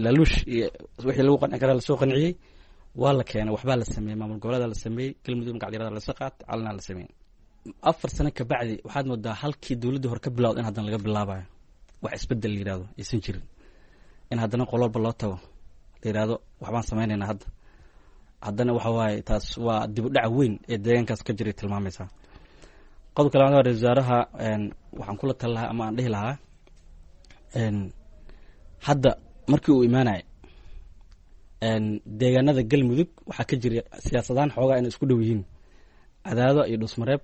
laaluush iyo wixii lagu qanci karaa lasoo qanciyey, waa la keenay, waxbaa la sameeyey, maamul goboleeda la sameeyey, Galmudug magacyarada lasa qaatay, calanaa la sameeyey. 4 sano kabacdi waxaad moodaa halkii dowladdii hore ka bilawda in haddana laga bilaabayo, wax isbedel la yihahdo aysan jirin, in haddana qolo walba loo tago la yihahdo waxbaan sameynaynaa hadda. Haddana waxa waaye taas waa dib u dhac weyn ee deegaankaas ka jiray tilmaamaysaa. Qodobka labaad waa ra-isul wasaaraha waxaan kula tali lahaa ama aan dhihi lahaa, hadda markii uu imaanaya deegaanada Galmudug waxaa ka jira siyaasadaan xoogaa inay isku dhow yihiin. Cadaado iyo Dhusmareeb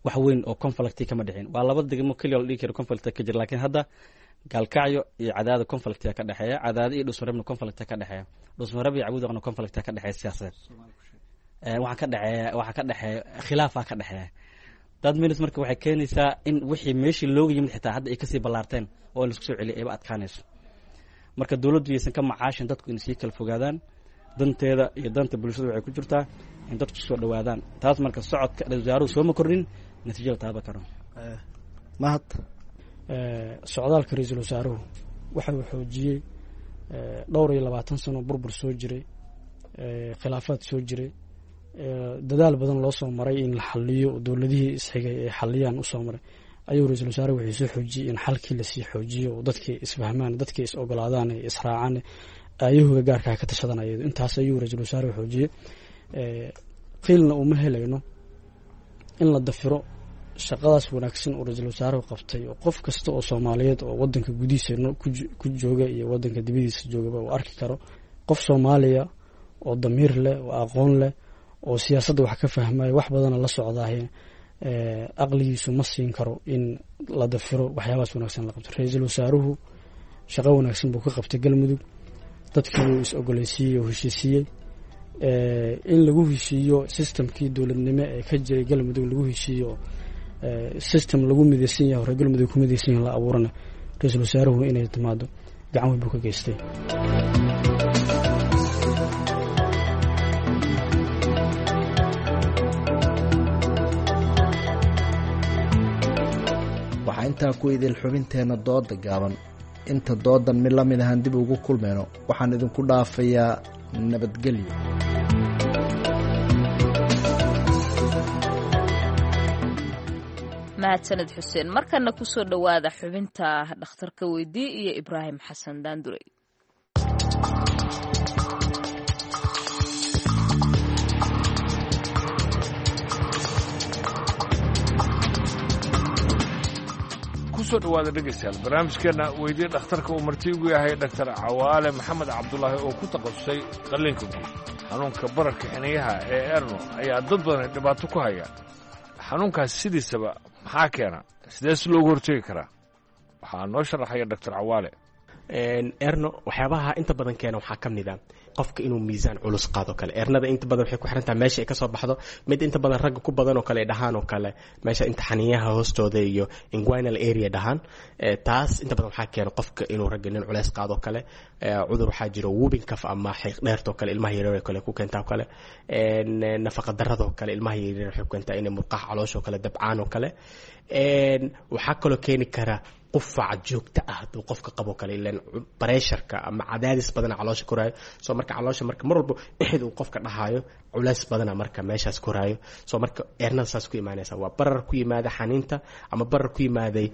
wax weyn oo conflicti kama dhicin, waa laba degmo keliya la dhihi karo conflict ka jira. Laakiin hadda Gaalkacyo iyo Cadaado conflictia ka dhexeeya, Cadaado iyo Dhusmareebna conflictia ka dhexeeya, Dhusmareeb iyo Cabudaqna conflictia ka dhexeeya siyaasadeed. Waxaa ka dhexeeya, waxaa ka dhexeeya khilaafaa ka dhexeeya dad minis. Marka waxay keenaysaa in wixii meeshii looga yimid xitaa hadda ay kasii ballaarteen oo in laisku soo celiyay ayba adkaanayso. Marka dowladdu yaysan ka macaashin dadku inay sii kala fogaadaan. Danteeda iyo danta bulshada waxay ku jirtaa in dadku soo dhowaadaan. Taas marka socodka ra-isul wasaaruhu sooma kordhin natiijo la taaban karo. Mahad. Socdaalka ra-iisul wasaaruhu waxa uu xoojiyey dhowr iyo labaatan sano burbur soo jiray, khilaafaad soo jiray, dadaal badan loo soo maray in la xaliyo oo dowladihii isxigay ay xaliyaan usoo maray, ayuu ra-iisul wasaare wuxuu soo xoojiyey in xalkii lasii xoojiyo oo dadkii isfahmaan, dadkii is ogolaadaan, ay israacaan, aayahooga gaarkaa ka tashadan. Ayado intaas ayuu ra-iisul wasaare xoojiyey. Qiilna uma helayno in la dafiro shaqadaas wanaagsan oo ra-iisul wasaaruhu qabtay, oo qof kasta oo Soomaaliyeed oo wadanka gudihiisa ku jooga iyo wadanka dibadiisa joogaba uu arki karo. Qof Soomaaliya oo damiir leh oo aqoon leh oo siyaasadda wax ka fahmaya, wax badana la socdaahe, aqligiisu ma siin karo in la dafiro waxyaabahaas wanaagsan la qabto. Ra-iisul wasaaruhu shaqo wanaagsan buu ka qabtay Galmudug, dadkii buu is ogoleysiiyey oo heshiisiiyey. In lagu heshiiyo systemkii dowladnimo ee ka jiray Galmudug, lagu heshiiyo system lagu midaysan yahay, reer Galmudug ku midaysan yahay la abuurana, ra-iisul wasaaruhu inay timaado gacan weyn buu ka geystay. Waxaa intaa ku idil xubinteenna dooda gaaban. Inta doodan mid la mid ahaan dib ugu kulmayno, waxaan idinku dhaafayaa nabadgelyo. Mahadsaned Xuseen. Markana kusoo dhowaada xubinta dhakhtarka weydii iyo Ibraahim Xasan Daandurey. Kusoo dhawaada dhegaystayaal barnaamijkeenna weydiye dhakhtarka uu marti ugu yahay Dhaktar Cawaale Maxamed Cabdulaahi oo ku takhasusay qalliinka guud. Xanuunka bararka xiniyaha ee erno ayaa dad badan dhibaato ku haya. Xanuunkaas sidiisaba maxaa keena? Sidee si loogu hortegi karaa? Waxaa noo sharaxaya Dhaktar Cawaale. Erno waxyaabaha inta badan keena waxaa ka mid a qofka inuu miisaan culus qaado kale. Ernada inta badan waxay ku xirantaha meesha ay kasoo baxdo. Mid inta badan ragga ku badan oo kale ay dhahaan oo kale meesha inta xaniyaha hoostooda iyo inguinal area dhahaan, taas inta badan waxaa keena qofka inuu ragga nin culeys qaado kale. Cudur waxaa jiro whooping cough ama xiiq dheertoo kale, ilmaha yaryar oo kale ku keentaa oo kale. Nafaqa darradoo kale ilmaha yaryar waxay ku keentaa inay murqaha calooshoo kale dabcaan oo kale. Waxaa kaloo keeni kara qufac joogto ah hadduu qofka qabo kale, ilan bareesharka ama cadaadis badana caloosha koraayo. Soo marka caloosha marka mar walba ixid uu qofka dhahaayo, culays badana marka meeshaas koraayo. Soo marka eernada saas ku imaanaysa waa barar ku yimaada xaniinta ama barar ku yimaaday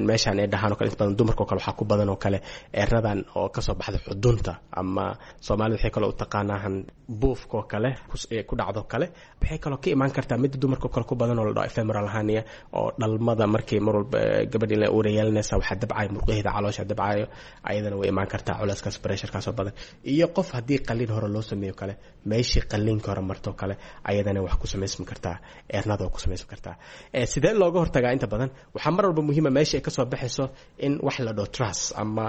meeshaan ay dhahaan oo kale. Inta badan dumarka oo kale waxaa ku badan oo kale eernadan oo kasoo baxda xudunta, ama Soomaalida waxay kaloo u taqaanaahan buufka oo kale ku dhacdo kale. Waxay kaloo ka imaan kartaa midda dumarka oo kale ku badan oo la dhaho ephemeral hernia, oo dhalmada markay mar walba gabadh in la uura yeelanaysa waxaa dabcayo murqaheeda caloosha dabcayo, ayadana way imaan kartaa culeyskaas pressurekaas oo badan. Iyo qof haddii qalliin hore loo sameeyo kale, meeshii qalliinka hore marto kale, ayadana wax ku samaysmi kartaa eernada oo ku samaysmi kartaa. Sidee looga hortagaa? Inta badan waxaa mar walba muhiima meesha ay kasoo baxayso in wax la dhaho truss ama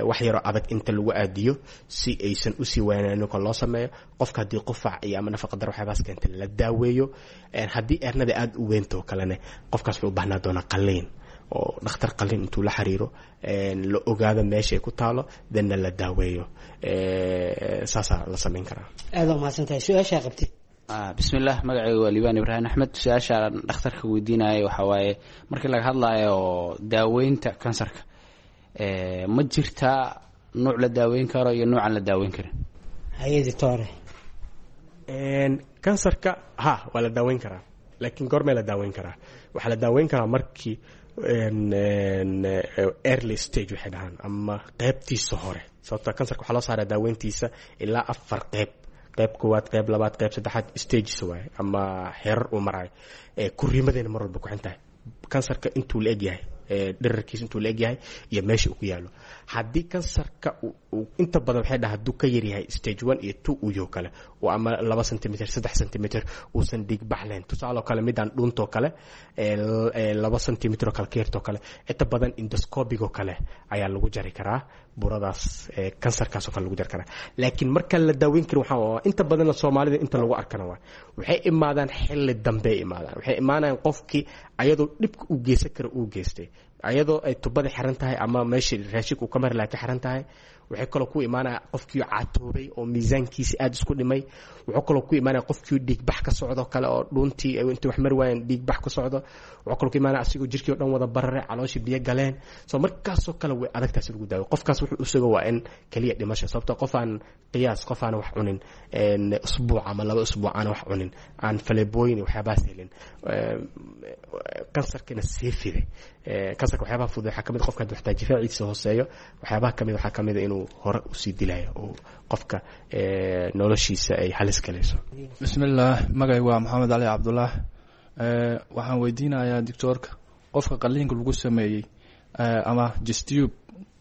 wax yaroo adag inta lagu aadiyo si aysan usii waanaanin koo loo sameeyo. Qofka haddii qufac iyo ama nafaqa dar waxyaabahaas keenta la daaweeyo. Haddii eernada aada u weynto kalene, qofkaas wuxuu u baahnaa doonaa qalliin oo dhakhtar qalliin intuu la xiriiro la ogaado meesha ay ku taalo, danna la daaweeyo. Saasaa la samayn karaa. Aada umahadsan tahay. Su-aashaa qabtid? Bismillaah, magacayga waa Liibaan Ibraahim Axmed. Su-aashaan dhakhtarka weydiinaya waxaa waaye, markii laga hadlaayo daaweynta kansarka, ma jirtaa nuuc la daaweyn karo iyo nuucan la daaweyn karin? Haye doctore. Kansarka ha, waa la daaweyn karaa, laakiin goormee la daaweyn karaa? Waxaa la daaweyn karaa markii early stage waxay dhahaan ama qeybtiisa hore, sababta kansarka waxaa loo saaraa daaweyntiisa ilaa afar qeyb: qeyb koowaad, qeyb labaad, qeyb saddexaad, stages waaye ama xeerar uu maraayo. Kuriimadeena mar walba ku xun tahay kansarka intuu la egyahay, dherarkiisa intuu la egyahay iyo meesha uu ku yaalo. Haddii kansarka inta badan waxay dhaha hadduu ka yaryahay stage 1 iyo 2 uu yaho kale oo ama 2 centimeter, 3 centimeter, uusan dhiigbax lahayn, tusaale oo kale midaan dhuuntoo kale 2 centimeter oo kale ka yartoo kale, inta badan endoscopic oo kale ayaa lagu jari karaa burada,s kansarkaas oo kale lagu jari karaa. Laakiin marka la daaweyn karin waxaa inta badanna Soomaalida inta lagu arkana waa waxay imaadaan xilli dambe imaadaan. Waxay imaanayaan qofkii ayadoo dhibka uu geysan kara uu geystay, ayadoo ay tubada xiran tahay ama meeshii raashinka uu ka mari lahaa ka xiran tahay. Waxay kaloo ku imaanaya qofkii catoobay oo miisaankiisi aada isku dhimay. Wuxuu kaloo ku imaanaya qofkii dhiigbax ka socdo kale oo dhuuntii intay wax mari waayeen dhiigbax ka socdo. Wuxuu kaloo ku imaanaya asigoo jirkii o dhan wada bararay, calooshii biyo galeen. So markaasoo kale way adagtaasi lagu daawo. Qofkaas wuxuu usuga waa in keliya dhimasho, sababtoo qof aan qiyaas qof aan wax cunin usbuuc ama 2 usbuuc aan wax cunin, aan faleebooyin iyo waxyaabahaas helin, kansarkina sii fiday. Kansarka waxyaabaha fudud waxaa kamid qofka hadduu xataa difaaciisa hooseeyo, waxyaabaha kamid waxaa kamid a inuu hore usii dilayo oo qofka noloshiisa ay halis galayso. Bismillaah, magay waa Maxamed Cali Cabdulaah. Waxaan weydiinayaa doctoorka, qofka qaliinka lagu sameeyey ama chest tube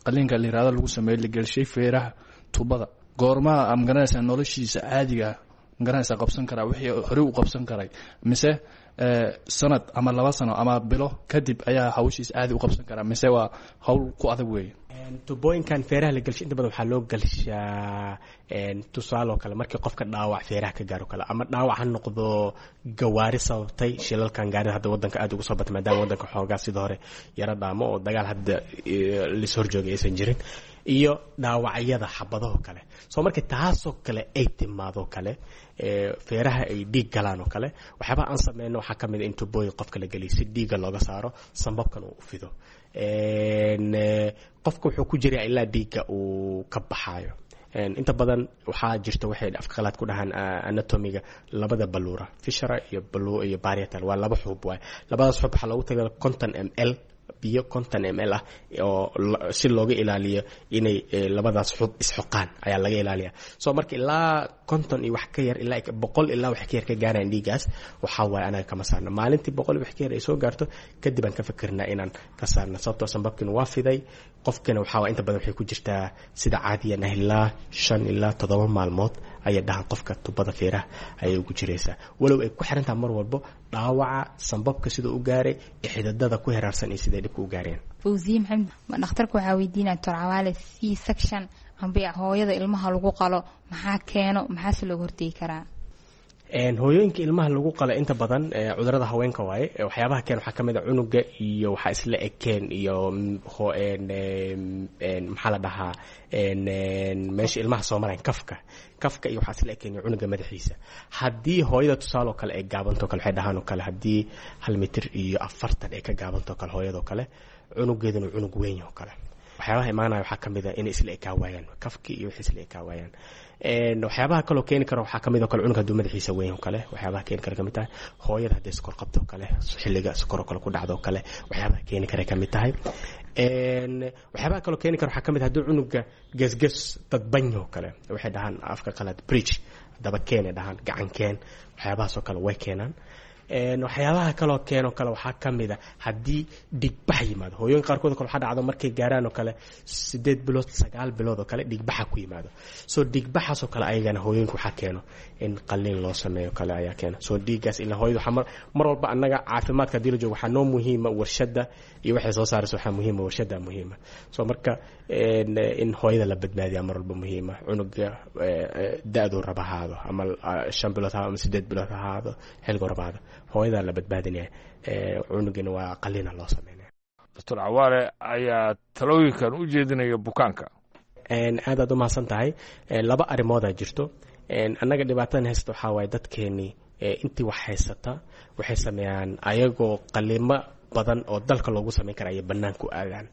qaliinka la yihahdo lagu sameeyey, la gelshay feeraha tubada, goormaha magaranaysaa noloshiisa caadiga magaranaysaa qabsan karaa wixii horey u qabsan karay mise Sanad ama 2 sano ama bilo kadib ayaa hawshiis aadi u qabsan karaa, mise waa hawl ku adag weeye? Tubooyinkan feeraha la gelshay inta badan waxaa loo gelshaa tusaale oo kale markii qofka dhaawac feeraha ka gaaro kale, ama dhaawac ha noqdo gawaari sababtay shilalkan gaarida hadda wadanka aad ugu soo batay, maadaama wadanka xoogaa sida hore yaro dhaamo oo dagaal hadda lis horjoogay aysan jirin, iyo dhaawacyada xabadahoo kale. Soo marka taasoo kale ay timaadoo kale, feeraha ay dhiig galaan oo kale, waxyaabaha aan sameyno waxaa ka mid a in tubooyin qofka la geliyo si dhiigga looga saaro, sambabkan uu u fido. Qofka wuxuu ku jiraa ilaa dhiigga uu ka baxaayo. Inta badan waxaa jirta waxay afka qalaad ku dhahaan anatomiga labada baluura, viscera iyo iyo parietal, waa laba xuub waay. Labadaas xuub waxaa loogu talagalay 50 ml biyo, 50 ml ah, oo si looga ilaaliyo inay labadaas xub isxoqaan ayaa laga ilaaliya. So marka ilaa 50 iyo wax ka yar, ilaa 100 ilaa wax ka yar ka gaaraan dhiigaas, waxaa waaye anaga kama saarno. Maalintii 100 iyo wax ka yar ay soo gaarto kadib aan ka fikirnaa inaan ka saarno, sababtoo sambabkiina waa fiday. Qofkana waxaa waay inta badan waxay ku jirtaa sida caadiyan ah ilaa 5 ilaa 7 maalmood ayay dhahan qofka tubada feeraha ayay ugu jiraysaa, walow ay ku xirantaha mar walbo dhaawaca sambabka siduu u gaaray, xididada ku heraarsan iyo siday dhibka u gaareen. Fawziye Maxamed, dhakhtarka waxaa weydiinaya Doctor Cawaale, C section amba hooyada ilmaha lagu qalo maxaa keeno, maxaase looga hortegi karaa? Hooyooyinka ilmaha lagu qalo inta badan cudurada haweenka waaye. Waxyaabaha keen waxaa kamid a cunuga iyo waxaa isla ekeen iyo maxaa la dhahaa meesha ilmaha soo marayan, kafka iyo waxaa isla ekeen iyo cunuga madaxiisa. Haddii hooyada tusaale oo kale ay gaabantoo kale, waxay dhahaan oo kale haddii 1 mitir iyo 40 ay ka gaabantoo kale hooyadoo kale, cunugeeduna cunug weyn oo kale, waxyaabaha imaanaya waxaa kamid a inay isla ekaa waayaan kafki iyo wixii isla ekaa waayaan. Waxyaabaha kaloo keeni kara waxaa kamid oo kale cunug hadduu madaxiisa weyn oo kale, waxyaabaha keeni kara kamid tahay hooyada hadday sokor qabto oo kale, xilliga sokor oo kale ku dhacdo oo kale, waxyaabaha keeni kara kamid tahay. Waxyaabaha kaloo keeni kara waxaa kamid hadduu cunuga gesges dadbany oo kale, waxay dhahaan afka qalaad bridge, daba keenay dhahaan, gacan keen, waxyaabahaas oo kale way keenaan. Waxyaabaha kaloo keenoo kale waxaa ka mid a haddii dhigbax yimaado. Hooyooyin qaarkood o kale waxaa dhacdo markay gaaraan oo kale 8 bilood, 9 bilood oo kale dhigbaxa ku yimaado. So dhigbaxaas oo kale ayagana hooyooyinka waxaa keeno in qaliin loo sameeyo kale ayaa keena. So dhiiggaas ilaa hooyada waxaa mar walba annaga caafimaadka haddii la joogo waxaa noo muhiima warshadda iyo waxay soo saarayso, waxaa muhiima warshadda muhiima. So marka in hooyada la badbaadiyaa mar walba muhiima, cunuga da-duu raba ahaado, ama 5 bilood ha ama 8 bilood ha ahaado, xilliguu raba ahaado, hooyadaa la badbaadinaya, cunugina waa qaliina loo sameynaya. Doctor Cawaale ayaa talooyinkan u jeedinaya bukaanka. Aad aad u mahadsan tahay. Laba arrimoodaa jirto. Annaga dhibaatadan haysta waxaa waaye dadkeenii intii wax haysata waxay sameeyaan ayagoo qalimo badan oo dalka loogu sameyn kara ayay bannaanku aadaan.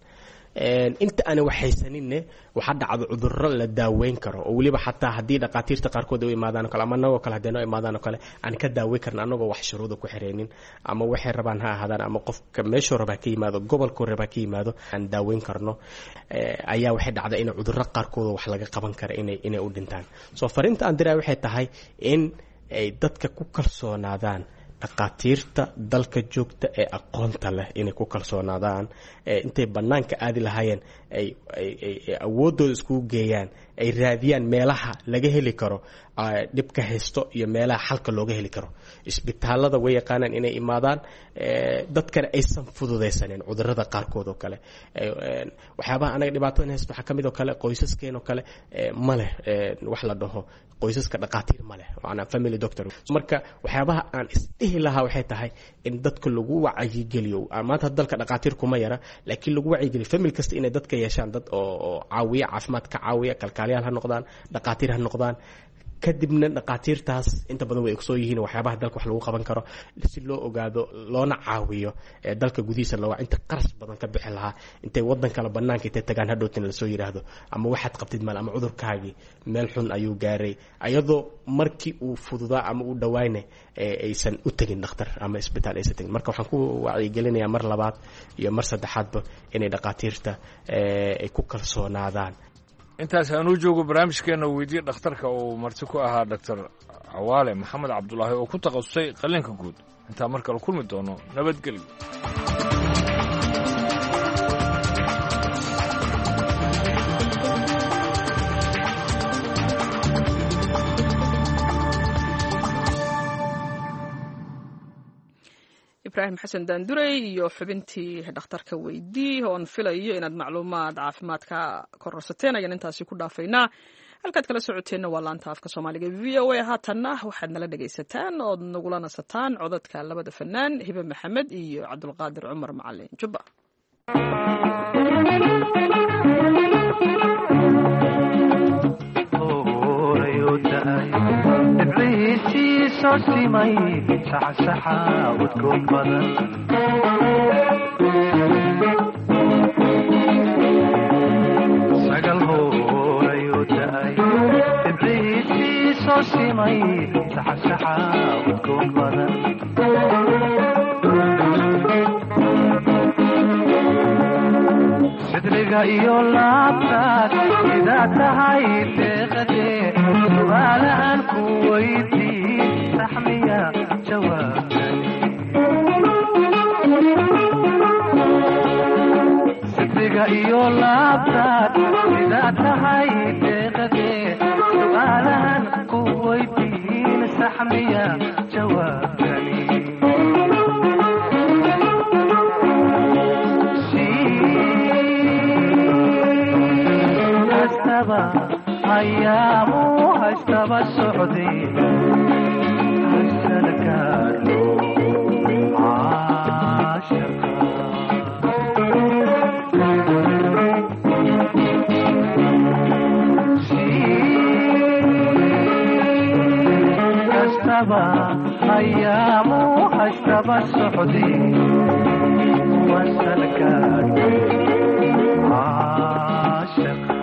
Inta aanan wax haysaninne waxaa dhacdo cudurro la daaweyn karo oo weliba xataa haddii dhaqaatiirta qaarkood ay u imaadaan o kale, ama anagoo kale haddii noo imaadaan oo kale aan ka daaweyn karna anagoo wax shuruuda ku xireynin, ama waxay rabaan ha ahaadaan, ama qofka meeshuu raba ha ka yimaado, gobolkuu raba ha ka yimaado, aan daaweyn karno, ayaa waxay dhacda in cudurro qaarkood wax laga qaban kara inay u dhintaan. So fariinta aan diraya waxay tahay in ay dadka ku kalsoonaadaan dhaqaatiirta dalka joogta ee aqoonta leh, inay ku kalsoonaadaan intay bannaanka aadi lahaayeen, ay awooddooda iskugu geeyaan, ay raadiyaan meelaha laga heli karo dhibka haysto iyo meelaha xalka looga heli karo. Isbitaalada way yaqaanaan inay imaadaan, dadkana aysan fududaysanin cudurada qaarkood oo kale. Waxyaabaha anaga dhibaatadan haysto waxaa kamid oo kale qoysaskeen oo kale ma leh wax la dhaho qoysaska dhaqaatiir ma leh, maanaa family doctor. Marka waxyaabaha aan isdhihi lahaa waxay tahay in dadka lagu wacyigeliyo. Maanta dalka dhaqaatiir kuma yara, laakiin lagu wacyigeliyo family kasta inay dadka yeeshaan dad oo caawiya, caafimaad ka caawiya, kalkaaliyaal ha noqdaan, dhaqaatiir ha noqdaan. Kadibna dhaqaatiirtaas inta badan way ogsoo yihiin waxyaabaha dalka wax lagu qaban karo si loo ogaado loona caawiyo dalka gudihiisa looga inta qaras badan ka bixi lahaa intay wadan kale banaanka intay tagaan hadhowtina lasoo yidhaahdo ama waxaad qabtid maal ama cudurkaagii meel xun ayuu gaaray, ayadoo markii uu fududaa ama uu dhawaayna aysan u tegin dhakhtar ama isbitaal aysan tegin. Marka waxaan ku wacyigelinayaa mar labaad iyo mar saddexaadba inay dhaqaatiirta ay ku kalsoonaadaan. Intaas aanuu joogo barnaamijkeenna weydiye dhakhtarka uu marti ku ahaa Doctor Cawaale Maxamed Cabdulaahi oo ku takhasusay qalliinka guud. Intaan mar kale kulmi doono, nabadgelyo. Ibraahim Xasan Daandurey iyo xubintii dhakhtarka weydii oon filayo inaad macluumaad caafimaad ka kororsateen ayaan intaasi ku dhaafaynaa. Halkaad kala socoteenna waa laanta afka Soomaaliga VOA. Haatanna waxaad nala dhegaysataan ood nagula nasataan codadka labada fanaan Hibe Maxamed iyo Cabdulqaadir Cumar Macalin Jubba. Sidriga iyo laabtaad sidaa tahay deeqadee, su'aalahan ku weydiin saxmiya jawaabtani. Sidriga iyo laabtaad sidaa tahay deeqadee, su'aalahan ku weydiin saxmiya jawaabtani. Ayaamu haystaba socday hasalkaadho caashaqa si kastaba ayaamu haystaba socday wasalkaadho caashaqa.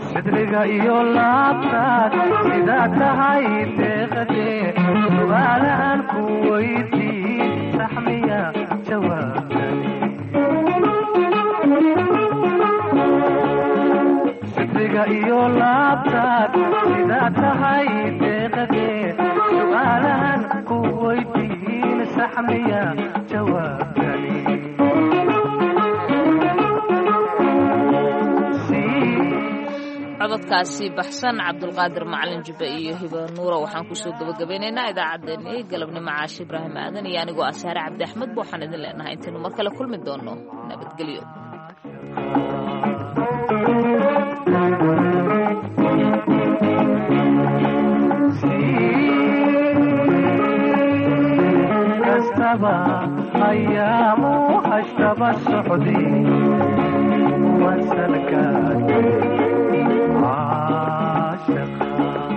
Sidriga iyo laabtaad sidaa tahay deeqadee, su'aalahan ku weydiin saxmiya jawaabtani. Sidriga iyo laabtaad sidaa tahay deeqadee, su'aalahan ku weydiin saxmiya jawaabtani. Cododkaasi baxsan Cabdulqaadir Macalin Jubbe iyo Hiba Nuura waxaan kusoo gabagabeynaynaa idaacaddeenii galabnimo. Caashe Ibraahim Aadan iyo anigoo ah Saare Cabdi Axmed ba waxaan idin leenahay intaynu mar kale kulmi doonno, nabadgelyo. Kastaba ayaamu hashtaba socday wasalkaad caashaqa. caashaqa.